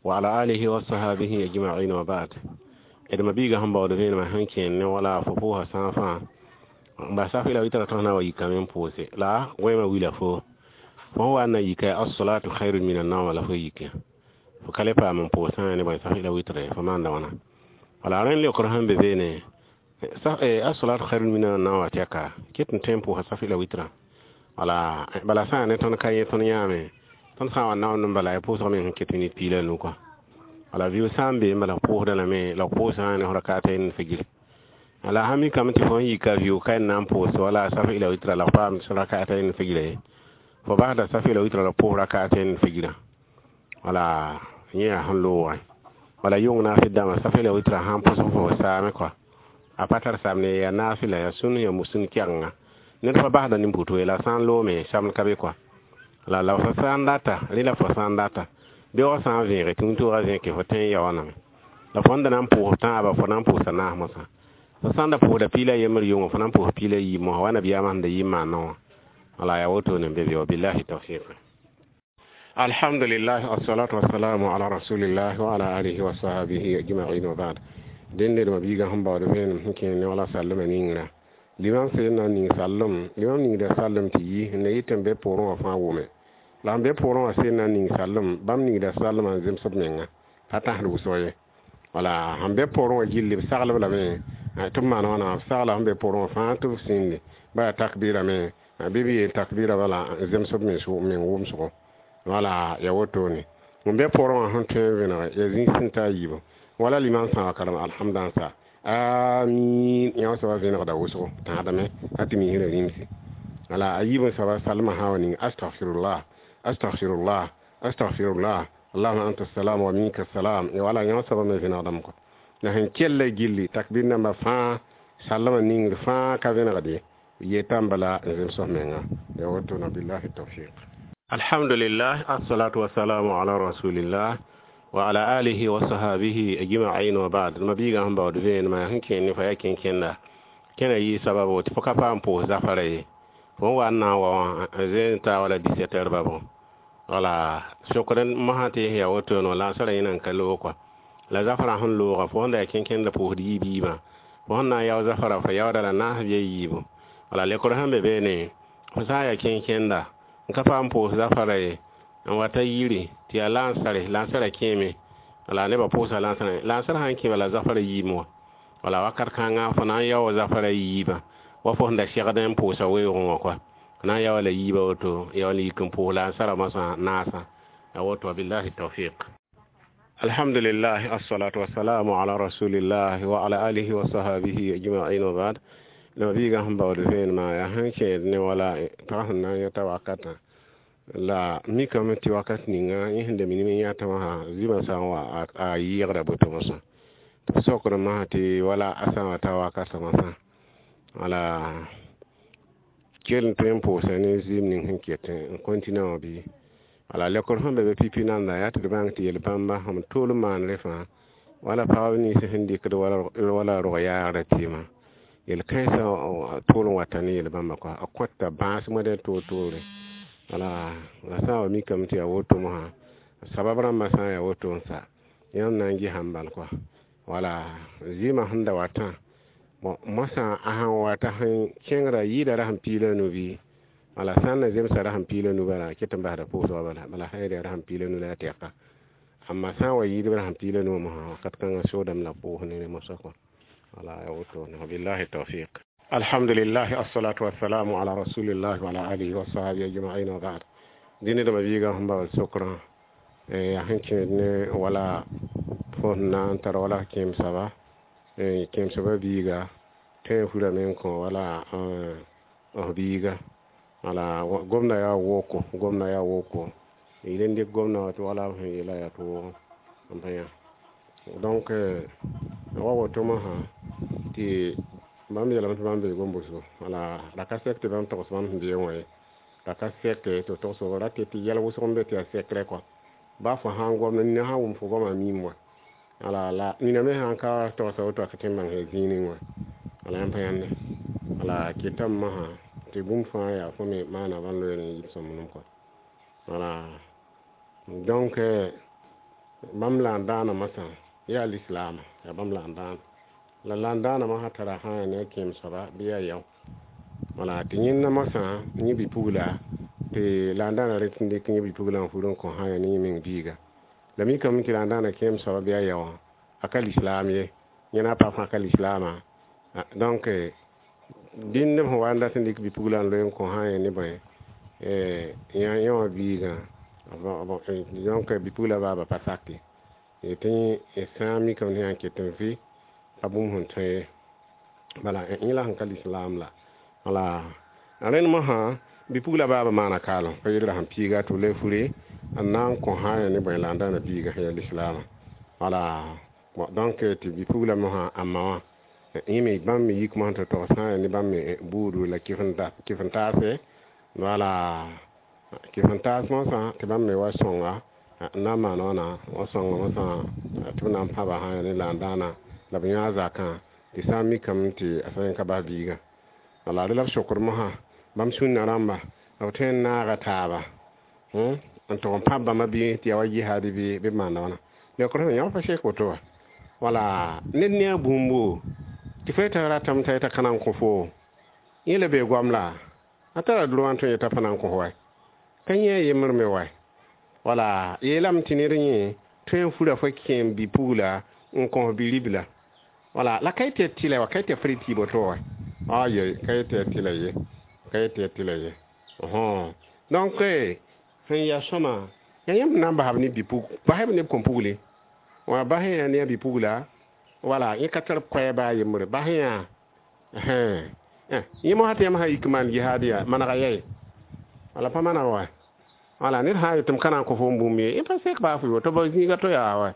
wa ala alihi wa sahabihi ajma'in wa ba'd. D mabiiga sẽn baood vẽenemã sẽn kẽen ne wala fo pʋʋsa sã fãa n bas saf la wɩtra tõs na wa yikame n pʋʋse la wẽmã wila fo fo sẽn wa n na yika as-salatu khairun min an-nawm la fo yike fo ka le paam n pʋʋsã ne bõe saf la wɩtre fo maanda wãna. Wala rẽnd leokr sẽn be beene as-salatu khairun min an-nawm wa tɛka ket n tõe n pʋʋsa saf la wɩtrã. Wala bala sã ne tõnd ka yẽ tõnd yãame tõnd sã n wa naoond n bala ya pʋʋsg me sẽn ket minit piig la nu kɔa. Wala vɩʋ sã n be n bala pʋʋsda lame la pʋʋsã ne f rakata n figir. Wala sã mikame tɩ fo n yika vɩʋ ka n na n pʋʋs wala saf ila wɩtra la paam rakata n figira ye. Fo basda saf ila wɩtra la pʋʋs rakata n figira. Wala yẽ yaa sẽn loogẽ. Wala yʋng naafɩl dãmbã saf ila wɩtra sãn pʋsg fo saame kɔa. A pa tar samne yaa naafɩla yaa sũn yaa sũn kɛgenga. Ned pa basda nin-puto ye la sã n loome samd ka be kɔa. La la fo sã n data, rẽ la fo sã n data. Beoogã sã n vẽege tɩ wĩntoogã zẽke fo tõe n ya wãname. La fo sẽn da na n pʋʋs tãabã fo na n pʋʋsa naas mosã. Fo sã n da pʋʋsda piig la yembr yʋngã fo na n pʋʋs piig la yiib mosã wa nabiyaamã sẽn da yɩ n maanã wã. Wala yaa wotone n be be wa billahi tawfiq. Alhamdulillah, assalatu wassalamu ala rasulillah wa ala alihi wa sahbihi ajma'in wa ba'd. Dẽnde d mabiigã sẽn baood vẽenem sẽn kẽer ne wala sallmã ningrã. Limam sẽn na n ning sallem, limam ningda sallem tɩ yi n na yɩ tɩ n be pʋʋrẽ wã fãa wʋme. La sẽn be pʋʋrẽ wã sẽn na n ning sallem, bãmb ningda sallmã n zems b menga, pa tãsd wʋsg ye. Wala sẽn be pʋʋrẽ wã gilli b saglb lame tɩ b maan wãna, b sagla sẽn be pʋʋrẽ wã fãa tɩ b sĩndi ba yaa takbirame, bɩ b yeel takbira bala n zems b meng wʋmsgo. Wala yaa wotone. N be pʋʋrẽ wã sẽn tõe n vẽnege yaa zĩig sẽn ta a yiibu. Wala limam sã n wa karem alhamdã n sa amin yã soaba vẽnegda wʋsgo tãadame a tɩ misrã rĩmse. Wala a yiib n soaba salmã sã wa ning astaghfirullah astaghfirullah astaghfirullah allahuma anta salam wa minka salam wala yã soaba me vẽnegdame kɔ. La sẽn kella gilli takbir nambã fãa salmã ningr fãa ka vẽnegd ye yetã bala n zems f menga. Ya wotona billahi tawfiq. Alhamdulillah, assalatu wassalamu ala rasulillah wa ala alihi wa sahabihi ajma'in wa ba'd. Mabiiga sẽn baood vẽenemã sẽn kẽer ne fo yaa kẽn-kẽnda kẽna yɩ sababu tɩ fo ka paam pʋʋs zafara ye. Fo n wa n na n wa wã zẽn ta wala 17 heures ba bõ. Wala sokd mosã tɩ yaa wotone wã la n sara yẽna n ka loog kɔa. La zafrã sẽn looga fo sẽn da yaa kẽn-kẽnda pʋʋsd yiib yiibã. Fo sẽn na n yao zafara fo yaooda la naas bɩ a yiibu. Wala lekr sẽn be beene fo sã n yaa kẽn-kẽnda n ka paam pʋʋs zafara ye n wa ta yiri tɩ yaa lansare, lansarã kẽeme. Wala nebã pʋʋsa lansarã, lansarã sãn kẽ bala zafara yiime wã. Wala wakat kãngã fo na n yaoog zafara yiibã wa fo sẽn da segd n pʋʋsa weoogẽ wã kɔa. Fo na n yaoola yiibã woto yaool n yik n pʋʋs lansarã mosã naasã. Ya woto billahi tawfiq. Alhamdulillah, assalatu wassalamu ala rasulillah wa ala alihi wa sahabihi ajma'in wa ba'd. La biiga sẽn baood vẽenemã yaa sẽn kẽed ne wala pag sẽn na n yãta wakatã la mikame tɩ wakat ninga yẽ sẽn da minim n yãtã wã zĩmã sã n wa a yɩɩgda boto mosã tɩ b sokd masã tɩ wala a sã n wa ta wakatã mosã wala kell n tõe n pʋʋsa ne zɩɩm ning sẽn ket n continue wã bɩ wala lekr sẽn be be pipi nanda yaa tɩ d bãng tɩ yel-bãmba sẽn tʋʋl n maanre fãa wala pagb nins sẽn dɩkd wala rog yaagda tɩɩmã yel-kãensã tʋʋl n wata ne yel-bãmba kɔa a kõta bãas moadẽ toor-toore wala la sã n wa mikame tɩ yaa woto mosã sabab rãmbã sã n yaa woto n sa yãmb na n gesame bal kɔa wala zɩɩmã sẽn da watã bon mosã a sãn wata sẽn kẽngrã yɩɩda rasem piig la nu bɩ wala sã n na zemsa rasem piig la nu bala a ket n basda pʋʋsgã bala bala sã n yaa rasem piig la nu la a tɛka amma sã n wa yɩɩdb rasem piig la nu wã mosã wakat kãngã soodame la pʋʋs ne rẽ mosã kɔa wala ya woto wabillahi tawfiq. Alhamdulillah, assalatu wassalamu ala rasulillah wa ala alihi wa sahbihi ajma'in wa ba'd. Dĩne dãmba biigã sẽn baood sokrã yaa sẽn kẽed ne wala fo sẽn na n tar wala kẽem soaba kẽem soaba biiga tõe n furame n kõ wala f biiga wala gomda yaa woko gomda yaa woko yel n dɩk gomda wa tɩ wala b sẽn yeela yaa tɩ wʋgẽ n pa yã donc wa woto mosã tɩ bãmb yeelame tɩ bãmb bee gom-bʋsgo wala la ka sɛk tɩ bãmb togs bãmb sẽn bee wã ye la ka sɛk tɩ togs ra tɩ tɩ yɛl wʋsg n be tɩ yaa sɛkrɛ kɔa ba fo sãn gom nina sã n wʋm fo goamã miim wa wala la nina me sãn ka togsa woto a ka tõe n bãng yaa zĩig ning wã wala yãmb pa yãnde wala ketame mosã tɩ bũmb fãa yaa fo me maana bãmb loeer n yib sõmblem kɔa wala donc bãmb la n dãana mosã yaa lislaama yaa bãmb la n dãana la n dãana mosã tara sã n yaa ne a kẽem soaba bɩ yaa yao wala tɩ yẽnda mosã yẽ bi-pugla tɩ la n dãana rɩk n dɩk yẽ bi-pugla n fur n kõ sã n yaa ne yẽ meng biiga la mikame tɩ la n dãana kẽem soaba bɩ a yao wã a ka lislaam ye yẽ na pa fãa ka lislaamã donc dĩnd b sẽn wa n dat n dɩk bi-pugla n loe n kõ sã n yaa ne bõe yẽ wã biigã donc bi-pugla baaba pa sak ye tɩ sã n mikame tɩ yã n ket n vɩ pa bũmb sẽn tõe ye bala yẽ la sẽn ka lislaam la wala rẽnd mosã bi-pugla baaba maana kaalem pa yel rasem piiga tɩ b le fure n na n kõ sã n yaa ne bõe la n dãana biiga sẽn yaa lislaamã wala bon donc tɩ bi-pugla mosã a ma wã yẽ me bãmb me yik mosã tɩ tog sã n yaa ne bãmb me buudu la kɩf n taase wala kɩf n taas mosã tɩ bãmb me wa sõnga n na n maan wãna wa sõnga mosã tɩ b na n pãba sã n yaa ne la n dãana la b yã zakã tɩ sã n mikame tɩ a sã n ka bas biigã wala rẽ la b sokd mosã bãmb sũnã rãmba b tõe n naaga taaba n tʋg n pãb bãmba bɩ tɩ yaa wa jihaad bɩ b maanda wãna leokr sẽn yã pa sek woto wa wala ned ne a bũmbo tɩ fo yeta ratame t'a yeta ka na n kõ fo yẽ la bee goam la a tara droa n tõe yeta pa na n kõ fo wa ka yẽ a yembr me wa wala yeelame tɩ ned yẽ tõe n fura fo kẽem bi-pugla n kõ bi-ribla wala la ka yetɩ tɩlɛ wa ka yetɩ f rɩ tɩ boto wa aye ka yetɩ tɩlɛ ye ka yetɩ tɩlɛ ye donc sẽn yaa sõma yaa yãmb na n basb ne bi-pug basb ne b kõn-pugli wã bas yã ne a bi-pugla wala yẽ ka tar koɛɛ baa yembre bas yã yẽ mosã tɩ yãmb sã yik maan jihaad yaa manega yɛe wala pa maneg wa wala ned sã n yetɩ m ka na n kõ fo n bũmb ye yẽ pa sek baa fo tɩ b zĩiga to yaa wa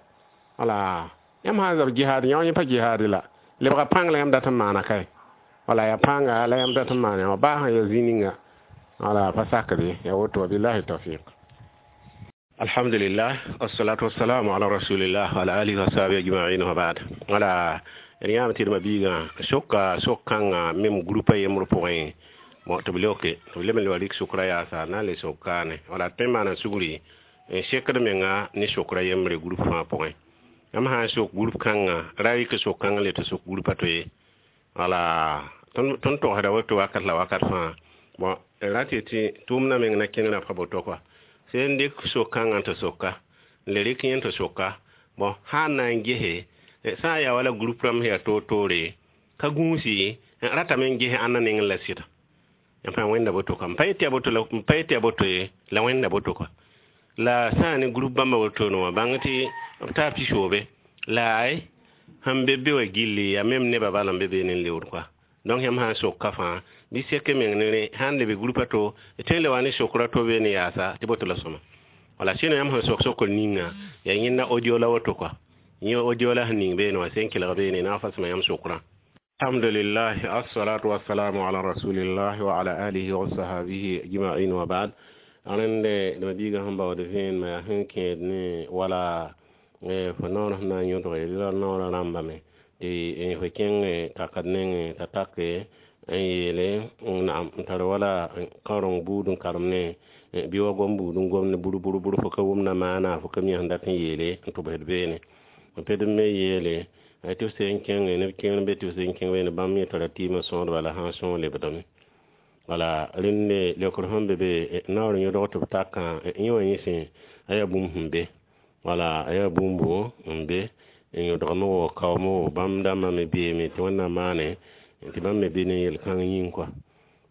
wala yãmb sã n zab jihaad yã yẽ pa jihaad la lebga pãng la yãmb dat n maana kae wala yaa pãnga la yãmb dat n maana wã baa sã yaa zĩ ninga wala pa sakd ye yaa woto wabillahi tawfiq. Alhamdulillah, wassalatu wassalamu ala rasulillah wa ala alihi wa sahbihi ajma'in wa ba'd. Wala d yãam tɩ d ma-biigã soka sok-kãngã mem grupa yembr pʋgẽ bon tɩ b leoke tɩ b leb n le wa rɩk sʋkra yaasa na n le sok kaane wala d tõe n maana sugri n sekd menga ne sokra yembre grup fãa pʋgẽ yãmb sã n sok grup kãngã ra rɩk sok-kãng le tɩ sok grupa to ye wala tõnd togsda woto wakat la wakat fãa bon ra tɩ tɩ tʋʋmdã meng na kẽnera pa boto kɔa sẽn dɩk sok-kãngã tɩ soka n le rɩk yẽ tɩ soka bon sã n na n gese sã n yaa wala grup rãmb sẽn yaa toor-toore ka gũusi ratame n ges ãnna nengẽ la sɩda yãmb fãa wẽnda boto ka m pa yetɩ yaa boto ye la wẽnda boto kɔa la sã n ne grup bãmba wotone wã bãng tɩ b taa pisoobe la ay sẽn be be wã gilli yaa mem nebã bala n be beene n leood kɔa Donc yãmb sã n sok ka fãa bɩ sek meng ne rẽ sã n lebe groupe a to d tõe n le wa ne sokr a to be ne yaasa tɩ boto la sõma. Wala sɩno yãmb sẽn sok sokr ninga yaa yẽnda audio la woto kɔa yẽ audio la sẽn ning beene wã sẽn kelg beene na n fasma yãmb sokrã. Alhamdulillah, assalatu wassalamu ala rasulillah wa ala alihi wa sahabihi ajma'in wa ba'd. Rẽnde d biiga sẽn baood vẽenemã yaa sẽn kẽed ne wala fo naoor sẽn na n yõdge la naoorã rãmbame tɩ fo kẽng takat nengẽ t'a take n yeele naam n tar wala kãoreng buud n karem ne bɩ wa gom buud n gomd bur bur bur fo ka wʋmda maana fo ka mi sẽn dat n yeele n tʋbsd beene n ped n me yeele tɩ f sẽn kẽnge neb kẽer n be tɩ f sẽn kẽng beene bãmb yẽ tara tɩɩmã sõodba la sã n sõog lebdame. Wala rẽnde leokr sẽn be be naoor yõdg tɩ b takã yẽ wã yẽ sẽ a yaa bũmb sẽn be wala a yaa bũmbu n be n yõdgame wo kaoome wo bãmb dãmbã me beeme tɩ wẽnnaam maane tɩ bãmb me be ne yel-kãng yĩng kɔa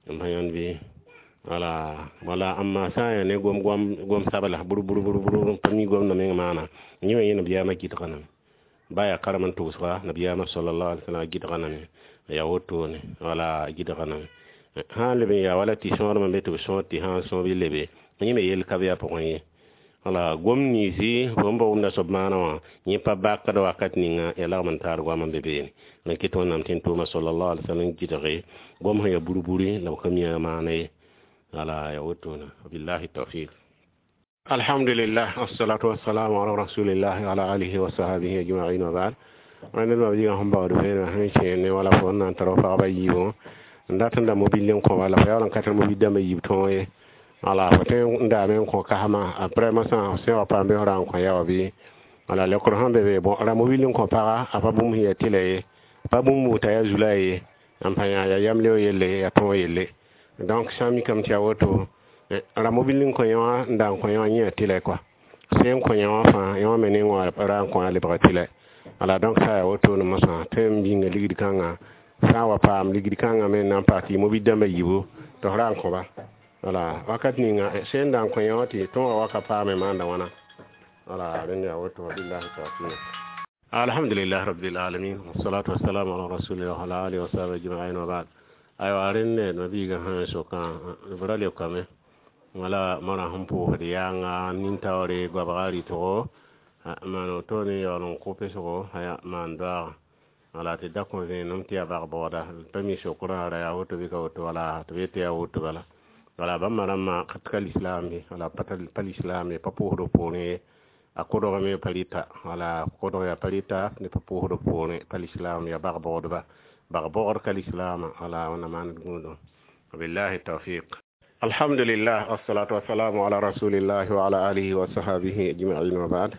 n pa yãnd bɩ wala wala amma sã n yaa ne gom gom sabla bur bur bur bur n pa mi gomdã meng maana yẽ wã yẽ nabiyaamã gɩdga name ba yaa karem n tʋgsga nabiyaamã sallallahu alaihi wasallam gɩdga name yaa wotone wala gɩdga name sã n leb n yaa wala tɩ sõodmã be tɩ b sõod tɩ sã n sõo bɩ lebe yẽ me yel ka be a pʋgẽ ye. Wala gom niisi fo n ba wʋmda soab maana wã yẽ pa bakd wakat ninga ya lagm n taar goam n be beene n kɩt wẽnnaam tɩ n tʋʋma sallallahu alaihi wasallam gɩdge gom sẽn yaa buri-buri la b ka mi a maana ye. Wala ya wotone billahi tawfiq. Alhamdulillah, assalatu wassalamu ala rasulillah wa ala alihi wa sahbihi ajma'in wa ba'd. Wẽnd ma biiga sẽn baood vẽenemã sẽn kẽer ne wala fo n na n tara pagba yiibõ n dat n da mobil n kõ wala fo yaool n ka tar mobil dãmbã yiib tõog ye. Wala fo tõe n daame n kõ kasma après mosã sẽn wa paam bɩ f ra n kõ yaoɔ bɩ wala leokr sẽn be be bon ra mobil n kõ paga a pa bũmb sẽn yaa tɩlɛ ye pa bũmb t'a yaa zula ye n pa yã yaa yamleo yelle yaa tõog yelle. Donc sã n mikame tɩ yaa woto ra mobil n kõ yẽ wã n da n kõ yẽ wã yẽ yaa tɩlɛ kɔa sẽn kõ yẽ wã fãa yẽ wã me neng wã ra n kõ a lebga tɩlɛ. Wala donc sã yaa wotone mosã tõe n bĩnga ligd kãngã sã n wa paam ligd kãngã me n na n paas tɩ mobil dãmbã yiibu tɩ f ra n kõba. Wala wakat ninga sẽn da n kõ yẽ wã tɩ tõogã wa ka paame maanda wãna. Wala rẽnd yaa woto billahi tawfiq. Alhamdulillah rabbil alamin wassalatu wassalamu ala rasulillah wa ala alihi wa sahbihi ajma'in wa ba'd. Aywa rẽnde nabiiga sã n sokã b ra leokame wala mara sẽn pʋʋsd yaanga nin-taoore goabga rɩtgo maan woto ne yaool n kʋ pesgo maan doaaga wala tɩ da kõ vẽenem tɩ yaa bag-bogda pa mi sokrã ra yaa woto bɩ ka woto wala tɩ b yetɩ yaa woto bala wala bãmba rãmbã ka lislaam ye wala pa lislaam ye pa pʋʋsd poorẽ ye a kodgame pa rɩta wala kodg yaa pa rɩta ne pa pʋʋsd poorẽ pa lislaam yaa bag-bogdba bag-bogd ka lislaamã wala wẽnnaam maand gũudum billahi tawfiq. Alhamdulillah, wassalatu wassalamu ala rasulillah wa ala alihi wa sahbihi ajma'in wa ba'd.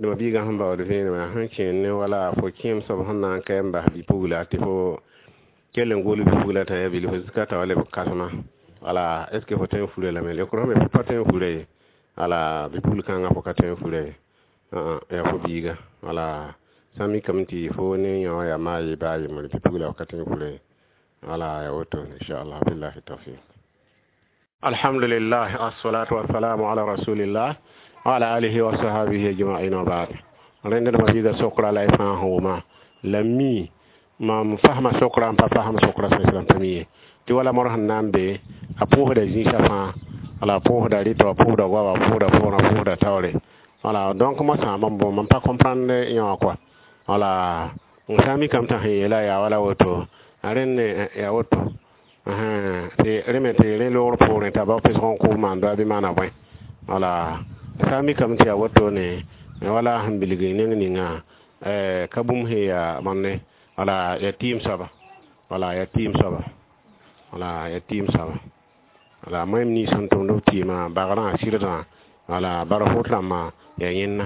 Dẽma biigã sẽn baood vẽenemã sẽn kẽer ne wala fo kẽem soab sẽn na n ka n bas bi-pugla tɩ fo kell n gol bi-pugla t'a yaa bilf zika t'a wa leb kãsema wala est ce que fo tõe n fura lame leokr sẽn be fo pa tõe n fura ye wala bi-pugl kãngã fo ka tõe n fura ye yaa fo biiga wala sã n mikame tɩ fo ne yã wã yaa maa ye baa yembre bi-pugla fo ka tõe n fura ye wala yaa woto inchallah billahi tawfiq. Alhamdulillah, assalatu wassalamu ala rasulillah wa ala alihi wa sahbihi ajma'in wa ba'd. Rẽnd dãmba biiga sokra la y fãa sẽn wʋma la mi mam fasma sokra n pa fasm sokra sẽn pa mi ye tɩ wala modg sẽn na n be a pʋʋsda zĩisã fãa wala a pʋʋsda rɩtɔ a pʋʋsda goaba a pʋʋsda foorã a pʋʋsda taoore wala donc mosã mam bõ mam pa comprendre yẽ wã kɔa wala n sã n mikame t'a sẽn yeela yaa wala woto a rẽnd yaa woto tɩ rẽ me tɩ rẽ loogr poorẽ t'a bao pesg n kʋʋ maan doa bɩ maana bõe wala sã n mikame tɩ yaa wotone wala sẽn bilg neng ninga ka bũmb sẽn yaa bõnde wala yaa tɩɩm soaba wala yaa tɩɩm soaba wala yaa tɩɩm soaba wala moẽm nins sẽn tʋmd b tɩɩmã bagrã sɩrdã wala bara fot rãmbã yaa yẽnna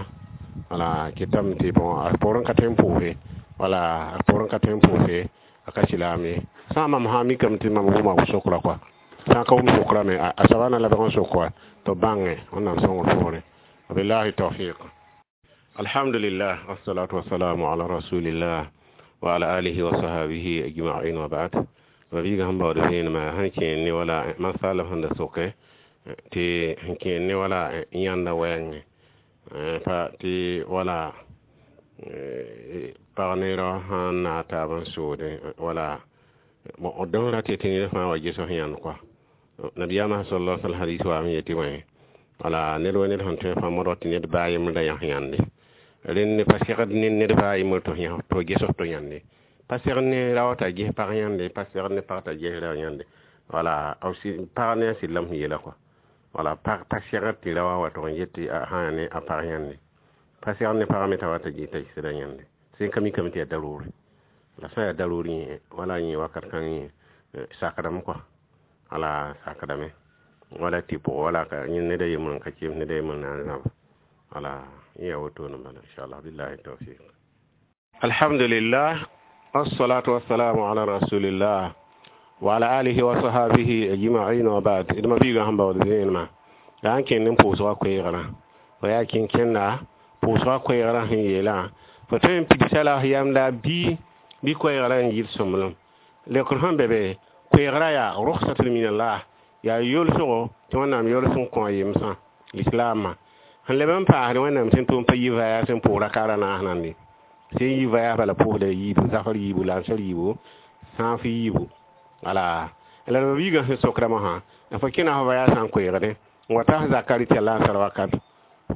wala kɩtame tɩ bõ a poorẽ ka tõe n pʋʋse wala a poorẽ ka tõe n pʋʋse a ka silaam ye sã n mam sã n mikame tɩ mam wʋma sokra kɔa sã n ka wʋm sokra me a soaba na lebg n sok wa tɩ b bãnge wẽnnaam sõngr poorẽ billahi tawfiq. Alhamdulillah, wassalatu wassalamu ala rasulillah wa ala alihi wa sahbihi ajma'in wa ba'd. Ma biiga sẽn baood vẽenemã sẽn kẽer ne wala masala sẽn da soke tɩ sẽn kẽer ne wala yãnda wɛɛngẽ pa tɩ wala pag ne rao sãn n naag taab n soode wala Bon dõn ra tɩ ned fãa wa ges f yãnd kɔa. Nabiyaamã sallallahu alaihi wasallam hadis wa me yetɩ wẽ wala ned wa ned sẽn tõe fãa modg tɩ ned baa yembr da yãs yãnde. Rẽnd pa segd ne ned baa yembr tɩ yãs tɩ ges f tɩ yãnde. Pa segd ne rao t'a ges pag yãnde, pa segd ne pag t'a ges rao yãnde. Wala pag ne a sɩd la m yeela kɔa. Wala pag pa segd tɩ raoã wa tʋg n get tɩ a sã ne a pag yãnde. Pa segd ne pagã me t'a wa t'a ges t'a sɩda yãnde. Sẽn ka mikame tɩ yaa daroore. La sã n yaa daroor yẽ wala yẽ wakat kãng yẽ sakdame kɔa. Wala sakdame. Wala tɩ pʋgẽ wala ka yẽ ned a yembr n ka keem ned a yembr na n zãb. Wala yẽ yaa wotone bala inshallah billahi tawfiq. Alhamdulillah wassalatu wassalamu ala rasulillah wa ala alihi wa sahabihi ajma'in wa ba'd. D ma biigã sẽn baood vẽenemã la n kẽnd n pʋʋsgã koeegrã. Fo yaa kẽn-kẽnda pʋʋsgã koeegrã sẽn yeelã fo tõe n pidsa la f yamda bɩ koeegrã n yɩl sõmblem. Lekr sẽn be be koeegrã yaa rukhsatun min Allah, yaa yolsgo tɩ Wẽnnaam yols n kõ a yemsã lislaamã. Sẽn leb n paasd Wẽnnaam sẽn tʋm pa yi vaya sẽn pʋʋs rakaara naas nande. Sẽn yi vaya bala pʋʋsda yiibu, zafr yiibu, lansar yiibu, sãaf yiibu. Wala la d biigã sẽn sokda mosã fo kẽna f vaya sã n koeegdẽ n wa ta f zakã rɩ tɩ yaa lansar wakat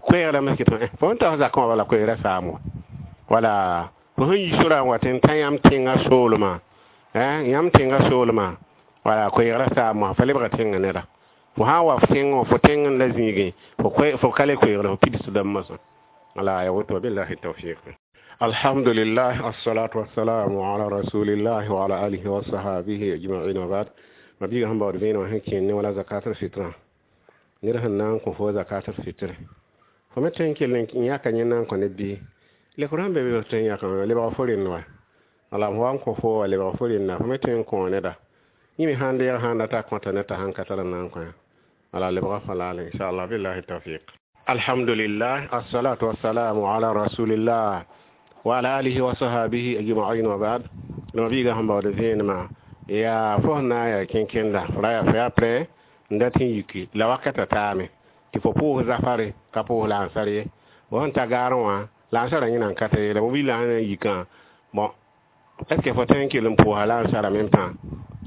koeegrã me kɩt fo n ta f zakã wã bala koeegrã saam wa. Wala fo sẽn yi sorã n wat n ta yãmb tẽngã soolmã, yãmb tẽngã soolmã wala koeegrã saam wã fa lebga tẽngã neda. Fo sã n wa f tẽng wã fo tẽng n la zĩigẽ fo ka le koeegre fo pidsdame mosã. Wala ya woto billahi tawfiq. Alhamdulillah assalatu wassalamu ala rasulillah wa ala alihi wa sahabihi ajma'in wa ba'd. Ma biigã sẽn baood vẽenemã sẽn kẽnd ne wala zakatul fitra. Ned sẽn na n kõ fo zakatul fitr. Fo me tõe n kell n yãka yẽ na n kõ ned bɩ lekr sẽn be be f tõe n yãkame lebg fo rend wa. Wala f wa n kõ fo wa lebg fo renda fo me tõe n kõ neda. Yẽ me sãn deeg sãn data kõta ned t'a sãn ka tar n na n kõ wala lebg fa laale inshallah billahi tawfiq. Alhamdulillah assalatu wassalamu ala rasulillah wa ala alihi wa sahabihi ajma'in wa ba'd. La biigã sẽn baood vẽenemã yaa fo sẽn na n yaa kẽn-kẽnda fo ra yaa fo yaa prɛ n dat n yiki la wakatã taame tɩ fo pʋʋs zafare ka pʋʋs lansar ye. Fo sẽn ta gaarẽ wã lansarã yẽna n ka ta ye la mobilã sẽn na n yikã bon est ce que fo tõe n kell n pʋʋsa lansar en même temps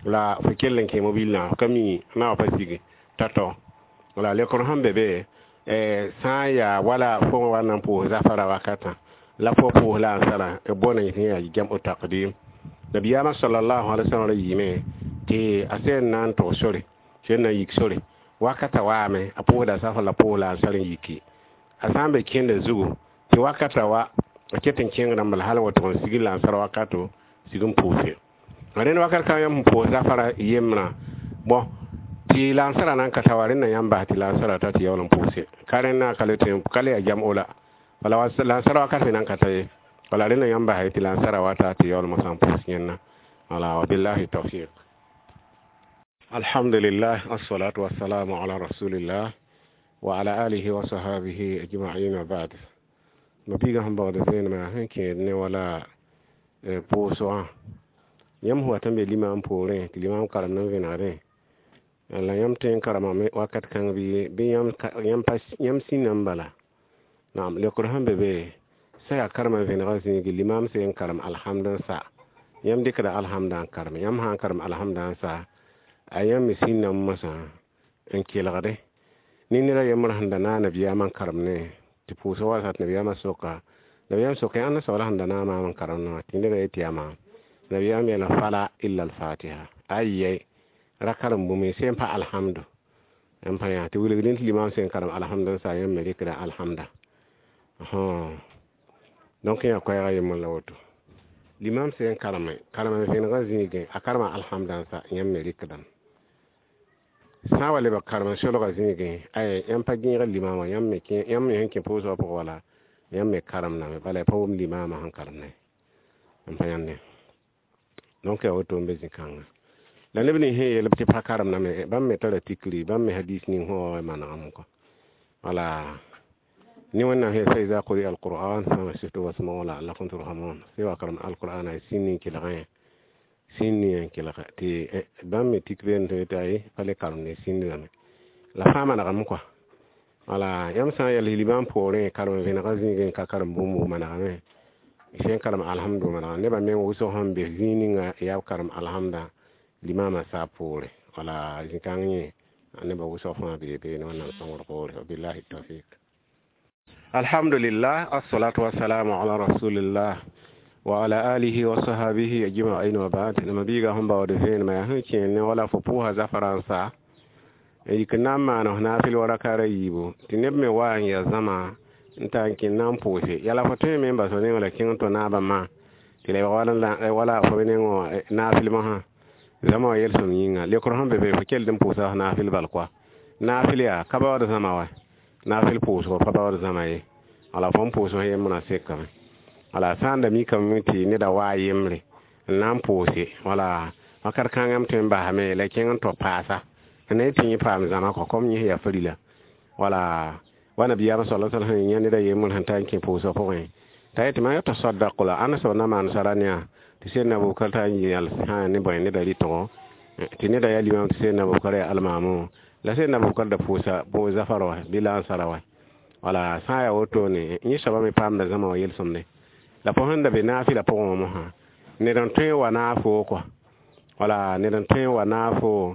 la fo kell n kẽ mobilã fo ka mi na wa pa sig tao-tao. Wala lekr sẽn be be sã n yaa wala fo wa na n pʋʋs zafara wakatã la fo pʋʋs lansarã bõna yẽ yaa jam'u taqdim. Nabiyaamã sallallahu alaihi wasallam ra yiime tɩ a sẽn na n tog sore sẽn na n yik sore wakata waame a pʋʋsda safar la pʋʋs lansar n yiki. A sã n be kẽnda zugu tɩ wakata wa a ket n kẽngdã bala hal n wa tʋg n sig lansar wakato sig n pʋʋse. Rẽnd wakat kãng yãmb sẽn pʋʋs zafara yembrã bõn tɩ lansarã na n ka ta wa rẽnda yãmb bas tɩ lansarã ta tɩ yaool n pʋʋse. Ka rẽndã ka le tõe ka le yaa jam'o la. Wala lansar wakat me na n ka ta ye. Wala rẽnda yãmb bas tɩ lansarã wa ta tɩ yaool mosã n pʋʋs yẽnna. Wala wa billahi tawfiq. Alhamdulillah assalatu wassalamu ala rasulillah wa ala alihi wa sahabihi ajma'in wa ba'd. Ma biigã sẽn baood vẽenemã sẽn kẽed ne wala pʋʋsgã yãmb sẽn wat n be limam poorẽ tɩ limam karemd n vẽnegdẽ la yãmb tõe n karemame wakat kãng bɩ yãmb sĩnda n bala. Naam lekr sẽn be be sã yaa karemã vẽnegã zĩigi limam sẽn n karem alhamd n sa yãmb dɩkda alhamdã n karem yãmb sã n karem alhamdã n sa a yãmb me sĩndame mosã n kelgdẽ ne ned a yembr sẽn da naag nabiyaamã n karemdẽ tɩ pʋʋsg wa sat nabiyaamã soka nabiyaam soka ãnda soabla sẽn da naag maam n karemdẽ wã tɩ neda yetɩ yaa maam. Nabiyaam yeela fala illa alfatiha ayyay ra karem bũmb sẽn pa alhamdu n pa yã tɩ wilgdẽ tɩ limam sẽn karem alhamdu n sa yãmb me rɩkda alhamda. Donc yã koɛɛga yembr la woto. Limam sẽn kareme karem n vẽnegã zĩigẽ a karema alhamdã n sa yãmb me rɩkdame. Sã n wa lebg karem n solgã zĩigẽ ay yãmb pa gẽegd limamã yãmb me sẽn kẽ pʋʋsgã pʋgẽ wala yãmb me karemdame bala ya pa wʋm limamã sẽn karemdẽ n pa yãnde. Donc yaa woto n be zĩ-kãngã. La neb nins sẽn yeel tɩ pa karemdame bãmb me tara tikri bãmb me hadis ning sẽn wa manegame kɔ. Wala ne Wẽnnaam sẽn fa iza quri'a alquran fansitu wasma'u la'allakum turhamun sẽn wa karem alquran a sĩnd n kelgẽ sĩnd n kelga tɩ bãmb me tik beene tɩ tɩ pa le karemde sĩndame. La fãa manegame kɔa. Wala yãmb sã n yɛls limam poorẽ karem vẽnegã zĩigẽ n ka karem bũmb manegame sẽn karem alhamdu manegame nebã meng wʋsg sẽn be zĩig ninga yaa b karem alhamdã Limama sa poore wala zĩ-kãng yẽ nebã wʋsg fãa bee beene Wẽnnaam sõngr poore. Wabillahi tawfik. Alhamdulillah, assalatu wassalamu ala rasulillah wa ala alihi wa sahabihi ajma'in wa ba'd. Ma biiga sẽn baood vẽenemã yaa sẽn kẽer ne wala fo pʋʋsa zafarãnsa n yik n na n maan f naafɩl wa rakaara yiibu tɩ neb me wa n ya zãma n ta n kẽ na n pʋʋse yala fo tõe me n bas fo neng la kẽng tɩ naabã ma tɩ la wala fo neng wã naafɩl mosã zãma wã yelsem yĩnga lekr sẽn be be fo kell n pʋʋsa f naafɩl bal koa naafɩl yaa ka baood zãma wa naafɩl pʋʋsgo pa baood zãma ye wala fo n pʋʋs f yembrã sekame wala sã n da mikame tɩ neda waa yembre n na n pʋʋse wala wakat kãngã m tõe n basame la kẽng n tɔ paasa ne tɩ yẽ paam zãma kɔ kom yẽ yaa farila wala wa nabiyaamã sala sal sẽn yã neda yembr sẽn ta n kẽ pʋʋsg pʋgẽ t'a yetɩ mam yata sadaq la ãnda soab na maan sara ne yaa tɩ sẽn Abubakar t'a n yãls sã ne bõe neda rɩtgo tɩ neda yaa limam tɩ sẽn Abubakar yaa almaamu la sẽn Abubakar da pʋʋsa bõ zafar wa bɩ la ansara wa wala sã n yaa wotone yẽ soabã me paamda zãma wã yel-sõmde la fo sẽn da be naafɩla pʋgẽ wã mosã ned n tõe n wa naafo kɔa wala ned n tõe n wa naafo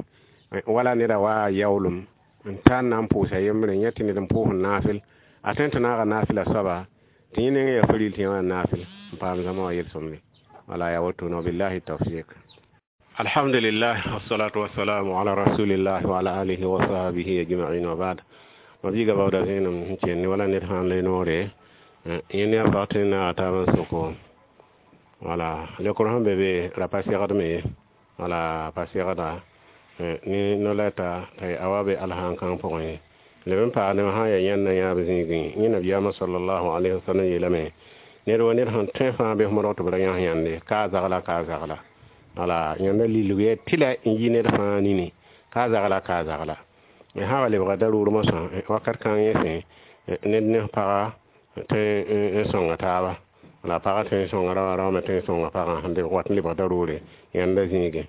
wala neda waa yaoolem n ta n na n pʋʋsa yembre yẽ tɩ ned n pʋʋs n naafɩl a tõe tɩ naaga naafɩla soaba tɩ yẽ neng yaa faril tɩ yẽ wã naafɩl n paam zãma wã yel-sõmde wala yaa wotone wabillahi tawfik. Alhamdulillah, wassalatu wassalamu ala rasulillah wa ala alihi wa sahbihi ajma'in wa ba'd. Ma biiga baooda vẽenem sẽn kẽnd wala ned sã n le noore yẽ ne a pag tɩ naaga taab n soko wala lekr sẽn be be ra pa segdme ye wala pa segda ne no-lɛta t'a a wa be alhãn-kãng pʋgẽ ye leb n paag neb sã n yaa yãnd na yãab zĩigẽ yẽ nabiyaamã sallallahu alaihi wasallam yeelame ned wa ned sẽn tõe fãa bɩ f modg tɩ b ra yãs yãnde ka a zagla ka a zagla wala yãnda lilg yaa tɩla n yi ned fãa nini ka a zagla ka a zagla sã wa lebga daruur mosã wakat kãng yẽ sẽ ned ne paga tõe n sõnga taaba la paga tõe n sõnga raoã rao me tõe n sõnga pagã sẽn wat n lebg daruure yãnda zĩigẽ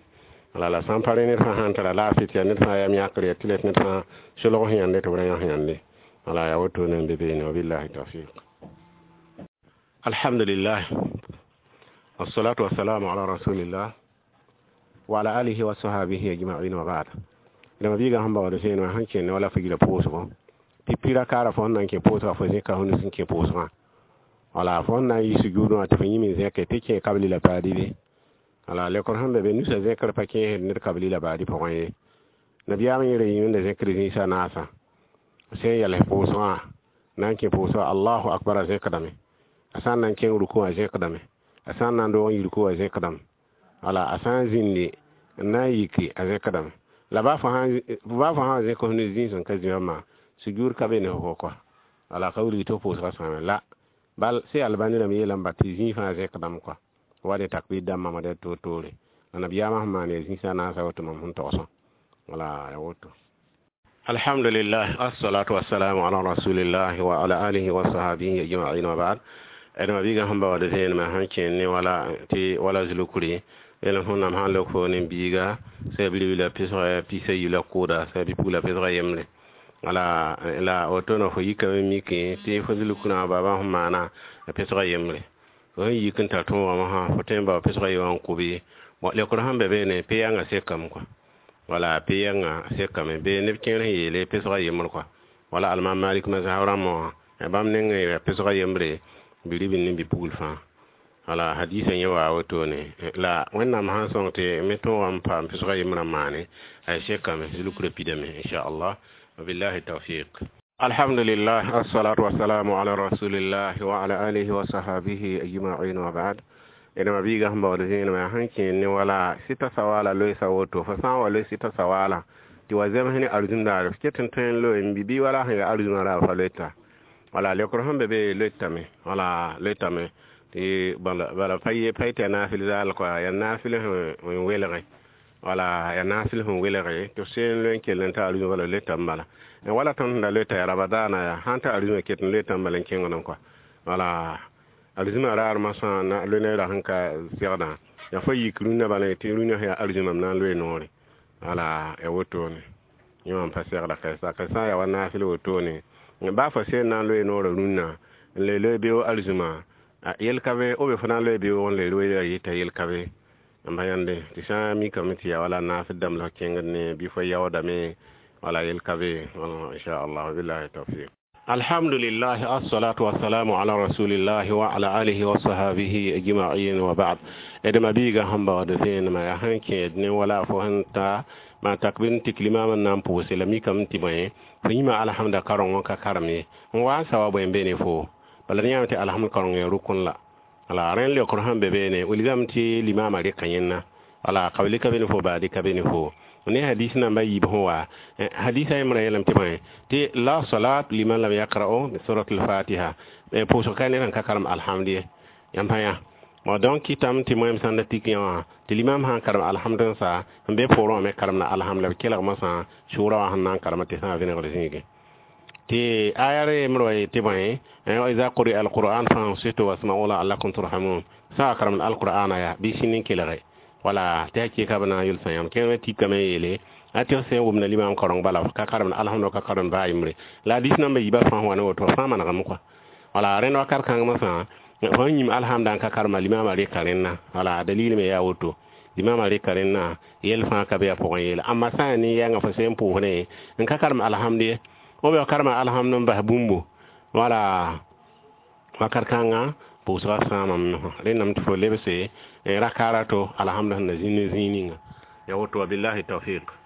wala la sã n pa rẽ ned fãa sãn tara laafɩ tɩ yaa ned fãa yam yãkr yaa tɩ la ned fãa solg sẽn yãnde tɩ b ra yãs yãnde wala yaa wotone n be beene wabillahi tawfiq. Alhamdulillah, wassalatu wassalamu ala rasulillah wa ala alihi wa sahbihi ajma'in wa ba'd. Dama biiga sẽn baood vẽenemã sẽn kẽnd wala fo yila pʋʋsgo pipi ra kaara fo sẽn na n kẽ pʋʋsga fo zẽka fo nus n kẽ pʋʋsgã wala fo sẽn na n yi sujuudẽ wã tɩ fo yĩm n zẽke tɩ kẽ kabli la paadi be wala lekr sẽn be be nusã zẽkr pa kẽesd ned kabli la baadi pʋgẽ ye nabiyaam yẽ ra yĩmda zẽkr zĩisã naasã sẽn yals pʋʋsgã na n kẽ pʋʋsgã allahu akbar a zẽkdame a sã n na n kẽng ruku wã zẽkdame a sã n na n doog n yi ruku wã zẽkdame wala a sã n zĩndi n na n yiki a zẽkdame la baa fo sã n zẽk f nus zĩig sẽn ka zĩma maa sujuud ka be ne fo kɔa wala ka wilg tɩ f pʋʋsgã sãame la bal sẽn albani rãmb yeelame ba tɩ zĩig fãa zẽkdame kɔa wa ne takbir dãmbã ma dɛ toor-toore la nabiyaamã sẽn maan yaa zĩisã naasã woto mam sẽn togsã wala ya woto. Alhamdulillah, assalatu wassalamu ala rasulillah wa ala alihi wa sahbihi ajma'in wa ba'd. Dama biiga sẽn baood vẽenemã sẽn kẽnd ne wala tɩ wala zulukri yel sẽn sãn lok fo ne biiga sã bilibila pesg pisa yi la kʋʋda sã bɩ-pugla pesga yembre wala la wotone fo yikame mikẽ tɩ fo zulukrã baabã sẽn maana pesga yembre fo sẽn yik n tar tõogã mosã fo tõe n bao pesga ye wã n kʋ bɩ lekr sẽn be beene pe-yãngã sekame kɔa wala pe-yãngã sekame be neb kẽer sẽn yeele pesga yembr kɔa wala almam malik mazhab rãmbã wã bãmb neng yaa pesga yembre bi-ribl ne bi-pugl fãa wala hadisa yẽ waa wotone la Wẽnnaam sãn sõng tɩ me tõogã n paam pesga yembrã maane a sekame zulukrã pidame inchallah wabillahi tawfiq. Alhamdulillah, assalatu wassalamu ala rasulillah wa ala alihi wa sahbihi ajma'in wa ba'd. Dama biiga sẽn baood vẽenemã sẽn kẽer ne wala sɩta sawala loeesa woto fo sã n wa loe sɩta sawala tɩ wa zems ne arzũm daare f ket n tõe n loe n bɩ bɩ wala sẽn yaa arzũmã raab fa loeta wala lekr sẽn be be loetame wala loetame tɩ bala pa ye pa yetɩ yaa naafɩl zaal kɔa yaa naafɩl sẽn welge wala yaa naafɩl sẽn welge tɩ f seen loe n kell n ta arzũmã bala loetame bala wala tõnd sẽn da loeta yaa ramadaana yaa sãn ta arzũmã ket n loetame bala n kẽngdem kɔa wala arzũmã raar masã na loe ne ra sẽn ka segdã yaa fo yik rũnnã bala tɩ rũnnã sẽn yaa arzũmã m na n loe noore wala ya wotone yẽ wã n pa segda kɛɛsa kɛsã yaa wa naafɩl wotone baa fo seen na n loe noorã rũnnã n le loe beoog arzũmã yel ka be o be fo na n loe beoog n le loe ya yɩta yel ka be N pa yãnde tɩ sã n mikame tɩ yaa wala naasd dãmb la f kẽngd ne bɩ fo yaoodame wala yel ka be, inchallah. Billahi tawfiq. Alhamdulillah, assalatu wassalamu ala rasulillahi wa ala alihi wa sahabihi ajma'in wa ba'd. Edma biiga sẽn baood vẽenemã yaa sẽn kẽed ne wala fo sẽn ta maan takbir n tik limam n na n pʋʋse la mikame tɩ bõe fo yĩma alhamda karengõ ka karem ye n wa n sa wa bõe n be ne fo bala yãame tɩ alhamd kareng ya rukun la wala rẽnd leokr sẽn be beene wilgame tɩ limama rɩka yẽnna wala kabli ka be ne fo baadi ka be ne fo ne hadis namba yiib sẽn wa hadisa yembra yeelame tɩ bõe tɩ la salat liman lam yakra'u bi surat al-fatiha pʋʋsg ka ned sẽn ka karem alhamd ye yãmb pa yã. Bon, donc kɩtame tɩ moem sãn da tik yã wã tɩ limam sã n karem alhamd n sa n be poorẽ wã me karemda alhamd la b kelgmã sã sʋʋra wã sẽn na n karema tɩ sã n vẽnegd zĩigẽ tɩ aya re yembr wa yetɩ bõe iza quri'a alquran fansitu wasma'u la'allakum turhamun sã a karemd alqur'ana ya bɩ sĩnd n kelge wala tɩ a keka b na n yʋlsã yãmb kẽer me tikame yeele a tɩ f sẽn wʋmda limam kareng bala ka karemd alhamd ka karemd baa yembre la hadis namba yiibã fãa wa ne woto fãa manegame kɔa wala rẽnd wakat kãngmã sã fo yĩm alhamda n ka karema limama rɩka rẽnna wala dalil me yaa woto limama rɩka rẽnna yɛl fãa ka be a pʋgẽ yeele amma sã n yaa ne yɛngã fo sẽn pʋʋsne n ka karem alhamd ye o be karema alhamd n bas bũmbo wala wakat kãngã pʋʋsgã sãamame rẽndame tɩ fo lebse rakara to alhamd sẽn na zĩnd ne zĩig ninga ya woto. Wabillahi tawfiq.